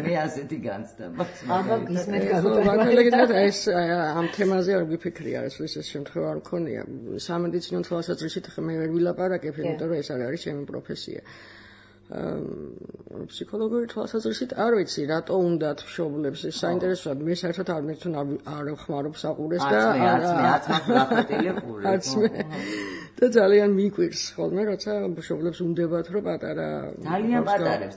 მე ასეთი განცდა. აბა გისმენთ გაგუყურებთ. ბატონო, ეს ამ თემაზე არ გიფიქრია, ეს შემთხვევა არ მქონია. სამედიცინო თვალსაზრისით მე ვერ ვილაპარაკებ, იმიტომ რომ ეს არის ჩემი პროფესია. ფსიქოლოგიური თვალსაზრისით არ ვიცი რატო უნდათ მშობლებს ეს საინტერესოა მე საერთოდ არ მეცნ არ ხმარობ საყურეს და არც მე და ძალიან მიკვირს ხოლმე როცა მშობლებს უნდებათ რომ პატარა ძალიან პატარებს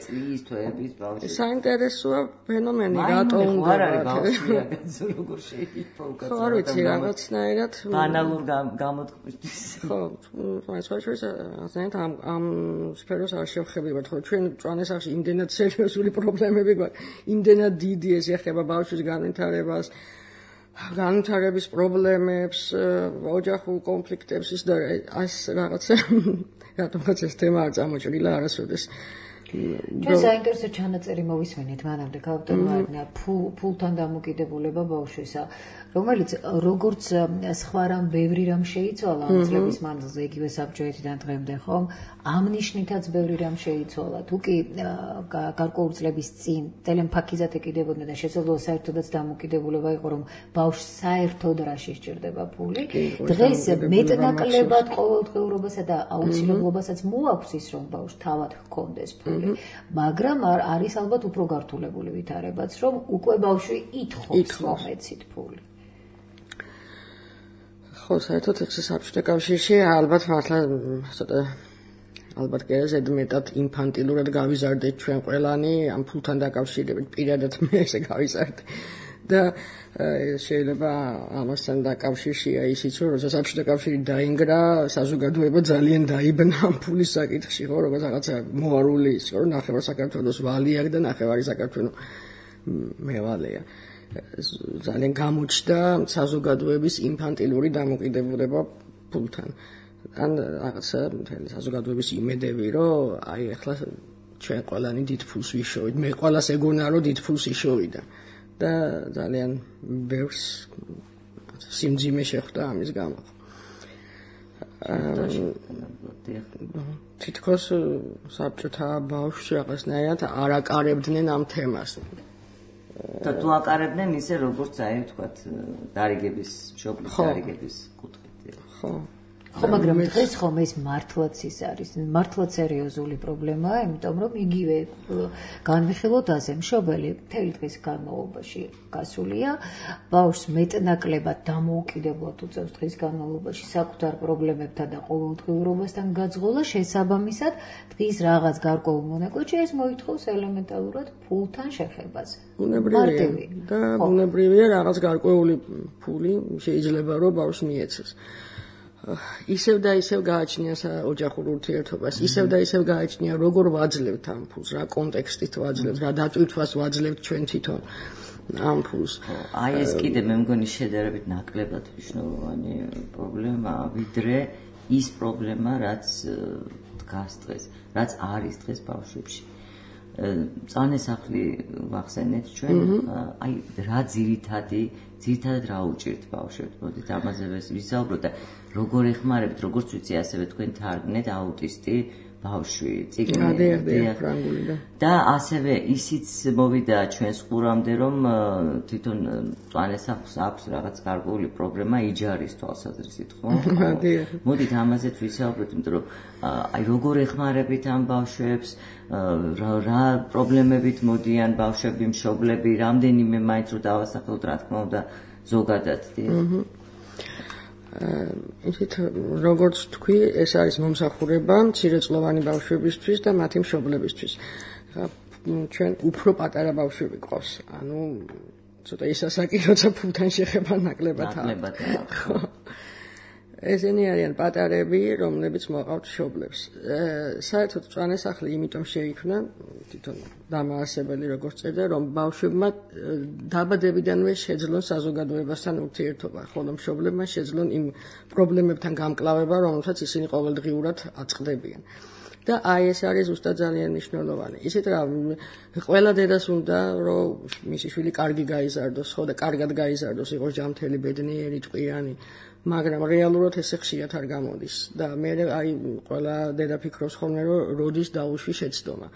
წლის თვეების ბავშვი საინტერესოა ფენომენი რატო უნდებათ როგორ შეიძლება უკაცრავად ხო არ ვიცი რაღაცნაირად ბანალურ გამოთქმისთვის ხო ეს საერთოდ ამ სფეროს არ შევხებებათ, ხო ჩვენ მწვანესახლში იმდენად სერიოზული პრობლემები გვაქვს, იმდენად დიდი ეს ეხება ბავშვის განვითარებას, განვითარების პრობლემებს, ოჯახურ კონფლიქტებს ის და ეს რაღაცა რატომღაც ეს თემა არ წამოჭრილა არასოდეს. ჩვენ საინტერესო ჩანაწერი მოვისმენით მანამდე ქალბატონო მარინა ფულთან დამოკიდებულება ბავშვისა რომელიც როგორც სხვა რამ ბევრი რამ შეიცვალა ამ წლების მანძილზე იგივე საბჭოეთიდან დღემდე ხომ ამ ნიშნითაც ბევრი რამ შეიცვალა თუ კი გარკვეული წლების წინ ძალიან ფაქიზად ეკიდებოდნენ და შესაძლოა საერთოდაც დამოკიდებულება იყო რომ ბავშვს საერთოდ რა შესჭირდება ფული დღეს მეტნაკლებად ყოველდღიურობასა და აუცილებლობასაც მოაქვს ის რომ ბავშვს თავად ჰქონდეს ფული მაგრამ არის ალბათ უფრო გართულებული ვითარებაც რომ უკვე ბავშვი ითხოვს მომეცით ფული ხო, საერთოდ ეს საბჭოთა კავშირში ალბათ მართლა ცოტა ალბათ კი ზედმეტად ინფანტილურად გავიზარდეთ ჩვენ ყველანი ამ ფულთან დაკავშირებით, პირადად მე ესე გავიზარდე. და შეიძლება ამასთან დაკავშირშია ისიც, რომ როცა საბჭოთა კავშირი დაინგრა, საზოგადოება ძალიან დაიბნა ამ ფულის საკითხში, ხო, როგორც რაღაცა მოარული ის, რომ ნახევარ საქართველოს ვალი აქვს და ნახევარი საქართველო მევალეა. ძალიან გამოჩნდა საზოგადოების ინფანტილური დამოკიდებულება ფულთან. ან რაღაცა მთელი საზოგადოების იმედები, რომ აი ახლა ჩვენ ყველანი დიდ ფულს ვიშოვით. მე ყველას ეგონა, რომ დიდ ფულს იშოვიდა. და ძალიან ბევრს სიმძიმე შეხვდა ამის გამო. თითქოს საბჭოთა ბავშვს რაღაცნაირად არ აკარებდნენ ამ თემას. და თუ აკარებდნენ ისე როგორც აი ვთქვათ დარიგების, მშობლის დარიგების კუთხით. ხო. ხო, მაგრამ დღეს ხომ ეს მართლაც ის არის, მართლაც სერიოზული პრობლემაა, იმიტომ რომ იგივე განვიხილოთ ასე, მშობელი მთელი დღის განმავლობაში გასულია, ბავშვს მეტნაკლებად დამოუკიდებლად უწევს დღის განმავლობაში საკუთარ პრობლემებთან და ყოველდღიურობასთან გაძღოლა, შესაბამისად, დღის რაღაც გარკვეულ მონაკვეთში ეს მოითხოვს ელემენტარულად ფულთან შეხებას. ბუნებრივია და ბუნებრივია რაღაც გარკვეული ფული შეიძლება რომ ბავშვს მიეცეს. ისევ და ისევ გააჩნია ოჯახურ ურთიერთობას, ისევ და ისევ გააჩნია როგორ ვაძლევთ ამ ფულს, რა კონტექსტით ვაძლევთ, რა დატვირთვას ვაძლევთ ჩვენ თვითონ ამ ფულს. აი ეს კიდე მე მგონი შედარებით ნაკლებად მნიშვნელოვანი პრობლემაა, ვიდრე ის პრობლემა, რაც დგას დღეს, რაც არის დღეს ბავშვებში. წანასახლი ვახსენეთ ჩვენ, აი რა ძირითადად რა უჭირთ ბავშვებს, მოდით ამაზე ვისაუბროთ და როგორ ეხმარებით, როგორც ვიცი, ასევე თქვენ თარგმნეთ აუტისტი ბავშვი, წიგნი ფრანგულიდან. და ასევე ისიც მოვიდა ჩვენს ყურამდე, რომ თვითონ წანასახლს აქვს რაღაც გარკვეული პრობლემა იჯარის თვალსაზრისით, ხო? მოდით ამაზეც ვისაუბროთ, იმიტომ რომ აი როგორ ეხმარებით ამ ბავშვებს, რა პრობლემებით მოდიან ბავშვები, მშობლები, რამდენიმე მაინც რომ დავასახელოთ, რა თქმა უნდა, ზოგადად. ისეთ როგორც თქვი, ეს არის მომსახურება მცირეწლოვანი ბავშვებისთვის და მათი მშობლებისთვის. ჩვენ უფრო პატარა ბავშვები ყავს. ანუ ცოტა ისასაკი, როცა ფულთან შეხება ნაკლებად. ესენი არიან პატარები, რომლებიც მოყავთ მშობლებს. საერთოდ წანასახლი იმიტომ შეიქმნა, თვითონ დამაარსებელი როგორც წერდა, რომ ბავშვებმა დაბადებიდანვე შეძლონ საზოგადოებასთან ურთიერთობა, ხოლო მშობლებმა შეძლონ იმ პრობლემებთან გამკლავება, რომელსაც ისინი ყოველდღიურად აწყდებიან. და აი ეს არის ზუსტად ძალიან მნიშვნელოვანი. ისეთ რა ყველა დედას უნდა რომ მისი შვილი კარგი გაიზარდოს, ხო და კარგად გაიზარდოს, იყოს ჯანმრთელი, ბედნიერი, ტყვიანი. მაგრამ რეალურად ესე ხშირად არ გამოდის და მე აი ყველა დედა ფიქრობს ხოლმე რომ როდის დაუშვი შეცდომა.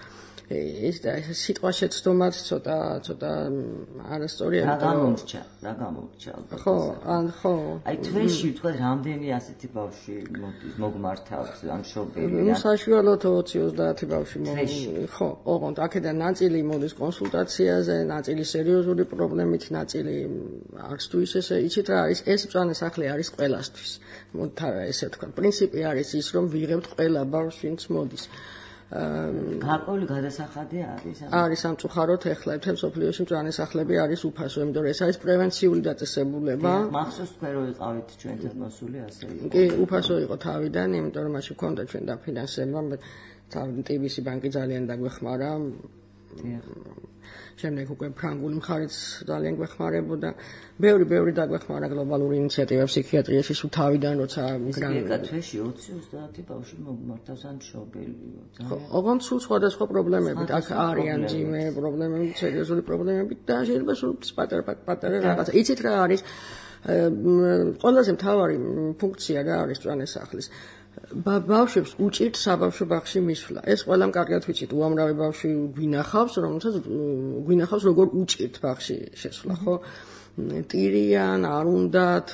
ეს და ეს სიტყვა შეცდომაც ცოტა არასწორია. რა გამომრჩა. ხო. აი თვეში თქვა რამდენი ასეთი ბავშვი მოგმართავს ან მშობელი. საშუალოდ 20-30 ბავშვი ხო, ოღონდ აქედან ნაწილი მოდის კონსულტაციაზე, ნაწილი სერიოზული პრობლემით, ნაწილი არც თუ ისე იცით რა არის, ეს წანასახლი არის ყველასთვის. ესე თქვა, პრინციპი არის ის, რომ ვიღებთ ყველა ბავშვს, ვინც მოდის. გარკვეული გადასახადი არის? არის სამწუხაროდ ეხლა მთელ მსოფლიოში წანასახლები არის უფასო, იმიტომ რომ ეს არის პრევენციული დაწესებულება. მახსოვს თქვენ რომ იყავით ჩვენთან მოსული ასე იყო. კი, უფასო იყო თავიდან, იმიტომ რომ მაშინ ჰქონდა ჩვენ დაფინანსება, TBC ბანკი ძალიან დაგვეხმარა. შემდეგ უკვე ფრანგული მხარეც ძალიან გვეხმარებოდა. ბევრი დაგვეხმარა გლობალური ინიციატივა ფსიქიატრიაში სულ თავიდან, როცა თვეში 20-30 ბავშვი მოგმართავს ან მშობელი. ოღონდ სულ სხვადასხვა პრობლემებით, აქ არიან ძიმე პრობლემები, სერიოზული პრობლემები და შეიძლება სულ პატარა რაღაცა. იცით რა არის? ყველაზე მთავარი ფუნქცია რა არის წანასახლის? ბავშვებს უჭირთ საბავშვო ბაღში მისვლა. ეს ყველამ კარგად ვიცით, უამრავი ბავშვი გვინახავს, რომელსაც გვინახავს როგორ უჭირთ ბაღში შესვლა, ხო? ტირიან, არ უნდათ.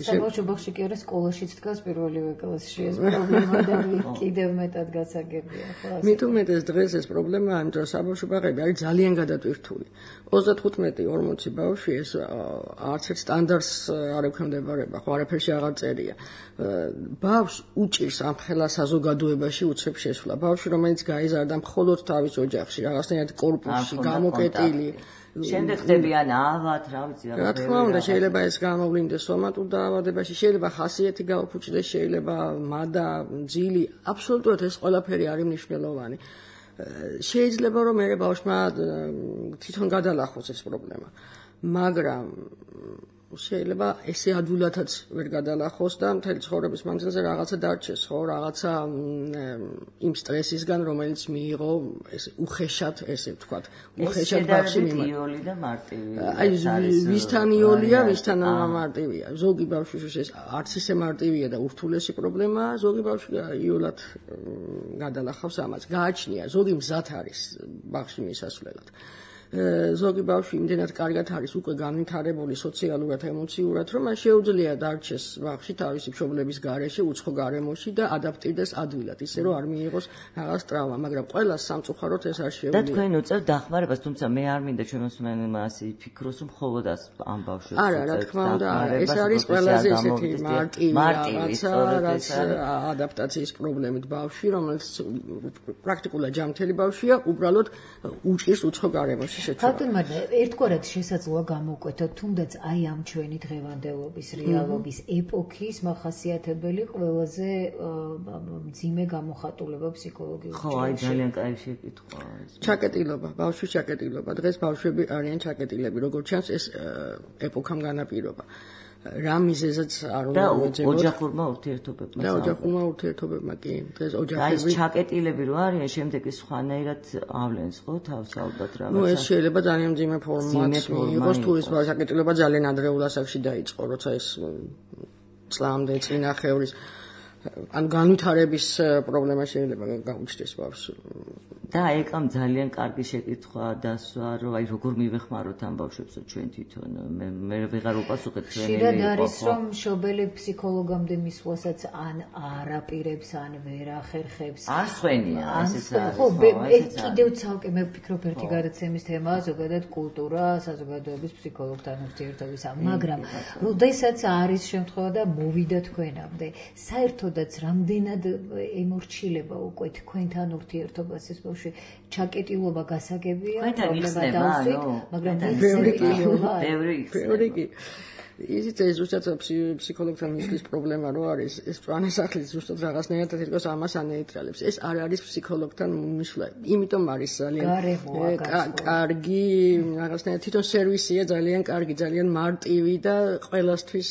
საბავშვო ბაღში კი არა, სკოლაშიც დგას პირველივე კლასში ეს პრობლემა და კიდევ მეტად გასაგებია, ხო? მით უმეტეს დღეს ეს პრობლემაა, იმიტომ რომ საბავშვო ბაღები არის ძალიან გადატვირთული. 35-40 ბავშვი ეს არც ერთ სტანდარტს არ ექვემდებარება, ხო, არაფერში აღარ წერია. ბავშვს უჭირს ამ ხელა საზოგადოებაში უცებ შესვლა. ბავშვი, რომელიც გაიზარდა მხოლოდ თავის ოჯახში, რაღაცნაირად კორპუსში, გამოკეტილი. შემდეგ ხდებიან ავად, რა ვიცი, რა თქმა უნდა, შეიძლება ეს გამოვლინდეს სომატურ დაავადებაში, შეიძლება ხასიათი გაუფუჭდეს, შეიძლება მადა, ძილი, აბსოლუტურად ეს ყველაფერი არის მნიშვნელოვანი. შეიძლება რომ მე ბავშვმა თვითონ გადალახოს ეს პრობლემა, მაგრამ შეიძლება ესე ადვილადაც ვერ გადალახოს და მთელი ცხოვრების მანძილზე რაღაცა დარჩეს, ხო, რაღაცა იმ სტრესისგან, რომელიც მიიღო ეს უხეშად, ესე ვთქვათ, უხეშად ბავშვი მიმართ. იოლი და მარტივი. აი, ვისთან იოლია, ვისთან მარტივია. ზოგი ბავშვის ეს არც ისე მარტივია და ურთულესი პრობლემაა, ზოგი ბავშვი იოლად გადალახავს ამას. გააჩნია, ზოგი მზად არის ბავშვი მისასვლელად. ზოგი ბავშვი იმდენად კარგად არის უკვე განვითარებული სოციალურად, ემოციურად, რომ მას შეუძლია დარჩეს ბავშვი თავისი მშობლების გარეშე, უცხო გარემოში და ადაპტირდეს ადვილად, ისე რომ არ მიიღოს რაღაც ტრავმა, მაგრამ ყველას სამწუხაროდ ეს არ შეუძლია. და თქვენ უწევთ დახმარებას, თუმცა მე არ მინდა ჩვენ მოსმენელმა ასე ფიქროს, რომ მხოლოდ ამ ბავშვებს. არა, რა თქმა უნდა, ეს არის ყველაზე ესეთი მარტივი რაღაც ადაპტაციის პრობლემით ბავშვი, რომელიც პრაქტიკულად ჯანმრთელი ბავშვია, უბრალოდ უჭირს უცხო გარემოში. ხალხთან მაგრამ ერთგვარად შესაძლოა გამოვკვეთოთ თუნდაც აი ამ ჩვენი დღევანდელობის რეალობის ეპოქის მახასიათებელი ყველაზე მძიმე გამოხატულება ფსიქოლოგიურად. ხო, აი ძალიან კაი შეკითხვა. ჩაკეტილობა, ბავშვის ჩაკეტილობა. დღეს ბავშვები არიან ჩაკეტილები, როგორც ჩანს ეს ეპოქამ განაპირობა. რა მიზეზად არ უნდა მოეძებოთ ოჯახურმა ურთიერთობებმა. და ოჯახურმა ურთიერთობებმა კი დღეს ოჯახები ეს ჩაკეტილები რო არიან, შემდეგ ის სხვანაირად ავლენს, ხო, თავს ალბათ რაღაცა. ნუ ეს შეიძლება ძალიან მძიმე ფორმატ მიიღოს, თუ ეს ჩაკეტილება ძალიან ადრეულ ასაკში დაიწყო, როცა ეს წლამდე წინახევრის ან განვითარების პრობლემა შეიძლება გაუჩნდეს ბავშვს. და ეკამ ძალიან კარგი შეკითხვა დასვა, რომ აი როგორ მივეხმაროთ ამ ბავშვებსო ჩვენ თვითონ. მე ვეღარ უპასუხებ ჩვენი. ხშირად არის რომ მშობელი ფსიქოლოგამდე მისვლასაც ან არაპირებს, ან ვერ ახერხებს. არ სხვენია, ესეც არის. ხო, კიდევ ცალკე მე ვფიქრობ ერთი გადაცემის თემაა ზოგადად კულტურა, საზოგადოების ფსიქოლოგთან ურთიერთობისა, მაგრამ როდესაც არის შემთხვევა და მოვიდა თქვენამდე, საერთოდაც რამდენად ემორჩილება უკვე თქვენთან ურთიერთობას ეს ჩაკეტილობა გასაგებია, პრობლემა დავსვით, მაგრამ ბევრი კი. ისიც ეს ზუსტად ფსიქოლოგთან მისვლის პრობლემა რო არის, ეს მწვანე სახლის ზუსტად რაღაცნაირად თითქოს ამას ანეიტრალებს. ეს არ არის ფსიქოლოგთან მისვლა. იმიტომ არის ძალიან კარგი, რაღაცნაირად თვითონ სერვისია ძალიან კარგი, ძალიან მარტივი და ყველასთვის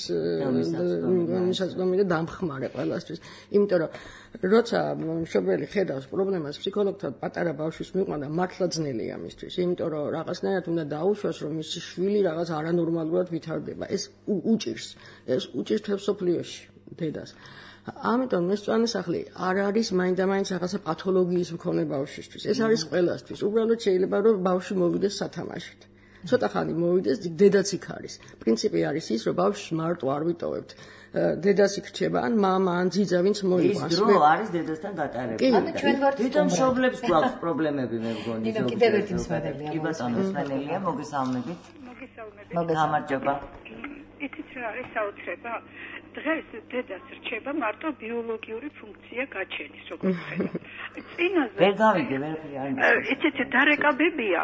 მისაწვდომი და დამხმარე ყველასთვის. იმიტომ რომ როცა მშობელი ხედავს პრობლემას ფსიქოლოგთან პატარა ბავშვის მიყვანა მართლა ძნელია მისთვის, იმიტომ რომ რაღაცნაირად უნდა დაუშვას, რომ მისი შვილი რაღაც არანორმალურად ვითარდება. ეს უჭირს თებსოფლიოში დედას. ამიტომ ეს მწვანე სახლი არ არის მაინდა-მაინც რაღაცა პათოლოგიის მქონე ბავშვისთვის. ეს არის ყველასთვის. უბრალოდ შეიძლება რომ ბავშვი მოვიდეს სათამაშოდ. ცოტა ხანი მოვიდეს, დედაც იქ არის. პრინციპი არის ის, რომ ბავშვს მარტო არ ვიტოვებთ. დედას იქ რჩება, ან მამა, ან ძიძა, ვინც მოიყვანს. ის დრო არის დედასთან გატარებული. ანუ ჩვენ ვართ თვითონ მშობლებს გვაქვს პრობლემები, მე მგონი. ნინო, კიდევ ერთი მსმენელია. კი ბატონო, მსმენელია, მოგესალმებით. გამარჯობა. იცით რა არის საოცრება? დღეს დედას რჩება მარტო ბიოლოგიური ფუნქცია გაჩენის, როგორც ხედავ. წინაზე ვერ გავიგე, ვერაფერი არ მისმენს. იცით დარეკაბებია,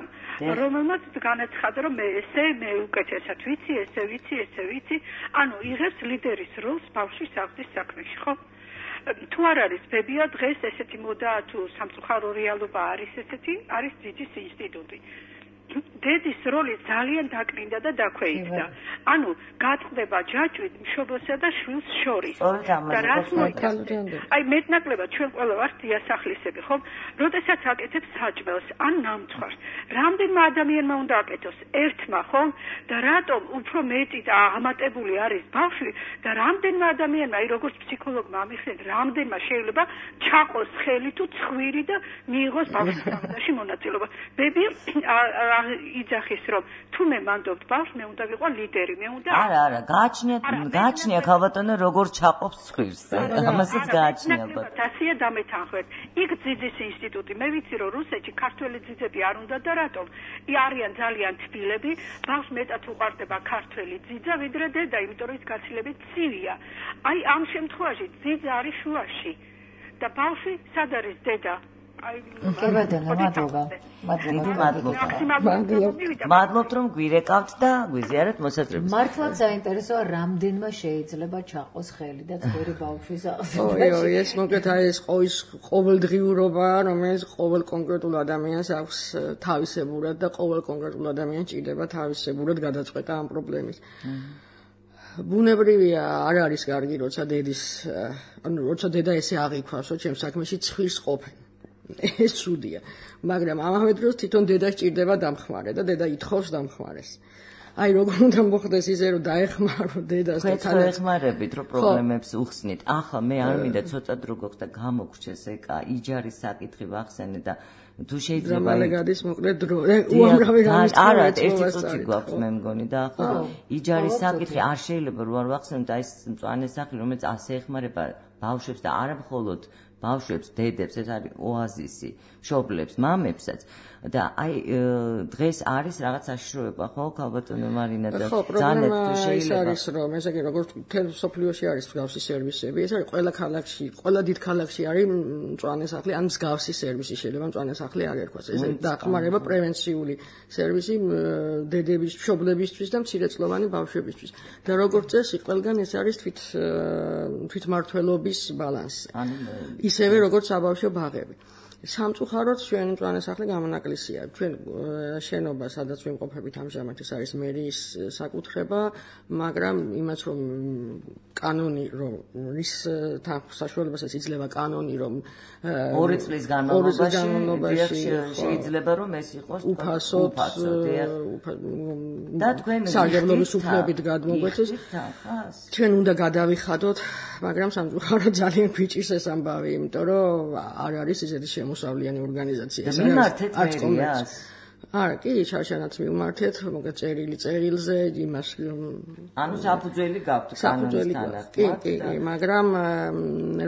რომელმაც განაცხადა, რომ მე უკეთესად ვიცი, ესე ვიცი, ანუ იღებს ლიდერის როლს ბავშვის აღზრდის საქმეში, ხო? თუ არ არის ბებია, დღეს ესეთი მოდა თუ სამწუხარო რეალობა არის ესეთი, არის ძიძის ინსტიტუტი. დედის როლი ძალიან დაკნინდა და დაქვეითდა. ანუ გატყდება ჯაჭვით მშობლსა და შვილს შორის. და რაც მოიწონს. აი მეტნაკლებად ჩვენ ყველა ვართ დიასახლისები, ხო? როდესაც აკეთებს საჭმელს ან ნამცხვარს, რამდენმა ადამიანმა უნდა აკეთოს? ერთმა, ხო? და რატომ უფრო მეტი და აღმატებული არის ბავშვი და რამდენმა ადამიანმა, აი როგორც ფსიქოლოგმა ამიხსენეთ, რამდენმა შეიძლება ჩაყოს ხელი თუ ცხვირი და მიიღოს ბავშვის აღზრდაში მონაწილეობა. ბები იძახის რომ თუ მე მანდობთ ბავშვს მე უნდა ვიყო ლიდერი მე უნდა არა გააჩნია ქალბატონო როგორ ჩაყოფს ცხვირს ამასაც გააჩნია ბატონო დასია დამეთანხმეთ იქ ძიძის ინსტიტუტი მე ვიცი რომ რუსეთში ქართველი ძიძები არ უნდა და რატომ არიან ძალიან თბილები ბავშვს მეტად უყვარდება ქართველი ძიძა ვიდრე დედა იმიტომ რომ ის გაცილებით ცივია აი ამ შემთხვევაში ძიძა არის შუაში და ბავშვი სად არის დედა მადლობთ რომ გვირეკავთ და გვიზიარეთ მოსაწრებს. მართლაც საინტერესოა რამდენმა შეიძლება ჩაყოს ხელი და წვერი ბავშვის აღზრდაში. ой, ეს მოკლედ ეს ყოველდღიურობა, რომელიც ყოველ კონკრეტულ ადამიანს აქვს თავისებურად და ყოველ კონკრეტულ ადამიანს ჭირდება თავისებურად გადაწყვეტა ამ პრობლემის. ბუნებრივია არ არის კარგი როცა დედა ესე აღიქვას, რომ ჩემს საქმეში ცხვირს ყოფენ. ეს ცუდია, მაგრამ ამავე დროს თვითონ დედა სჭირდება დამხმარე და დედა ითხოვს დამხმარეს. აი როგორ უნდა მოხდეს ისე რომ დაეხმარო დედას და თან ეხმარებით რომ პრობლემებს უხსნით. ახლა მე არ მინდა ცოტა დრო გოხს და გამოგრჩეს ეკა იჯარის საკითხი ვახსენე და თუ შეიძლება მალეგადის მოკლედ დრო უამრავი რამის არა ერთი წუთი გვაქვს მე მგონი და ახლა იჯარის საკითხი არ შეიძლება რომ არ ვახსენოთ აი ეს მწვანე სახლი რომელიც ასე ეხმარება ბავშვებს და არა მხოლოდ ბავშვებს, დედებს, ეს არის ოაზისი, მშობლებს, მამებსაც და აი დღეს არის რაღაც საშიშროება, ხო, ქალბატონო მარინა და ძალიან თუ შეიძლება ის არის რომ ესე იგი როგორც თელ სოფლიოში არის მსგავსი სერვისები, ეს არის ყველა ქალაქში, ყველა დიდ ქალაქში არის მწვანე სახლი, ან მსგავსი სერვისი შეიძლება მწვანე სახლი არ ერქვას. ეს დახმარება პრევენციული სერვისი დედების, მშობლებისთვის და მცირეწლოვანი ბავშვებისთვის. და როგორც წესი, ყველგან ეს არის თვითმმართველობის ბალანსი. ისევე როგორც საბავშვო ბაღები. სამწუხაროდ ჩვენ მწვანე სახლი გამონაკლისია. ჩვენ შენობა, სადაც ვიმყოფებით ამჟამად, ეს არის მერიის საკუთრება, მაგრამ იმას რომ კანონი რომ ის საშუალებასაც იძლევა კანონი რომ 2 წლის განმავლობაში შეიძლება რომ ეს იყოს უფასოდ და თქვენ სარგებლობის უფლებით გადმოგვეცეს. ჩვენ უნდა გადავიხადოთ, მაგრამ სამწუხაროდ ძალიან გვიჭირს ეს ამბავი, იმიტომ რომ არ არის ისეთი შემოსავლიანი ორგანიზაცია. ეს არის კომერციას. არა, კი, შარშანაც მივმართეთ, მოკლედ წერილზე, იმას ანუ საფუძველი გაქვთ კანონისთან. კი, მაგრამ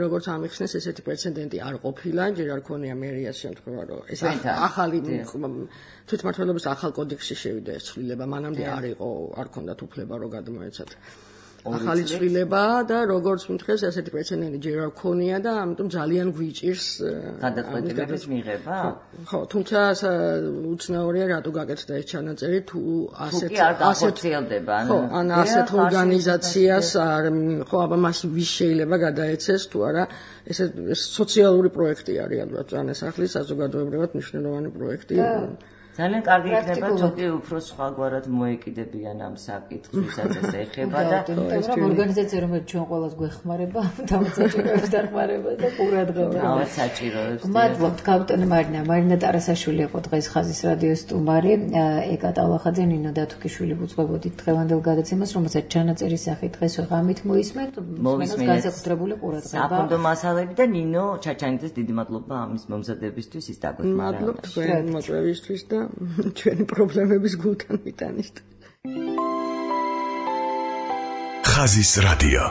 როგორც ამიხსნეს, ესეთი პრეცედენტი არ ყოფილა, ჯერ არ ქონია მერიას შემთხვევა, რომ ეს ახალი თვითმმართველობის ახალ კოდექსში შევიდა ეს ცვლილება, მანამდე არ იყო, არ ქონდათ უფლება რომ გადმოეცათ. ახალი ცვლილება და როგორც მითხეს ესეთი პრეცედენტი ჯერ არ ქონია და ამიტომ ძალიან გვიჭირს გადაწყვეტილების მიღება. ხო, თუმცა უცნაურია რატო გაკეთდა ეს ჩანაწერი თუ ასეთ გახორციელდება. ხო, ან ასეთ ორგანიზაციას არ ხო, აბა მას ვის შეიძლება გადაეცეს თუ არა ეს სოციალური პროექტი არის ალბათ მწვანე სახლის საზოგადოებრივად მნიშვნელოვანი პროექტი. ძალიან კარგი იქნება თუკი უფრო სხვაგვარად მოეკიდებიან ამ საკითხს, ვისაც ეს ეხება და მაგრამ ორგანიზაცია რომელიც ჩვენ ყველას გვეხმარება, დამსაჭიროებს დახმარება და ყურადღება. ავად საჭიროებს. მადლობთ ქალბატონო მარინა ტარასაშვილი იყო დღეს ხაზის რადიოს სტუმარი, ეკა ტალახაძე, ნინო დათუკიშვილი ვუძღვებოდით დღევანდელ გადაცემას, რომელსაც ჩანაწერის სახით დღეს ვეღამით მოისმენთ, განსაკუთრებული ყურადღება. საფონდო მასალები და ნინო ჩაჩანიძეს დიდი მადლობა ამის მომზადებისთვის, ის დაგვეხმარა. მადლობთ თქვენ მოწვევისთვის და ჩვენი პრობლემების გულთან მიტანით. ხაზის რადიო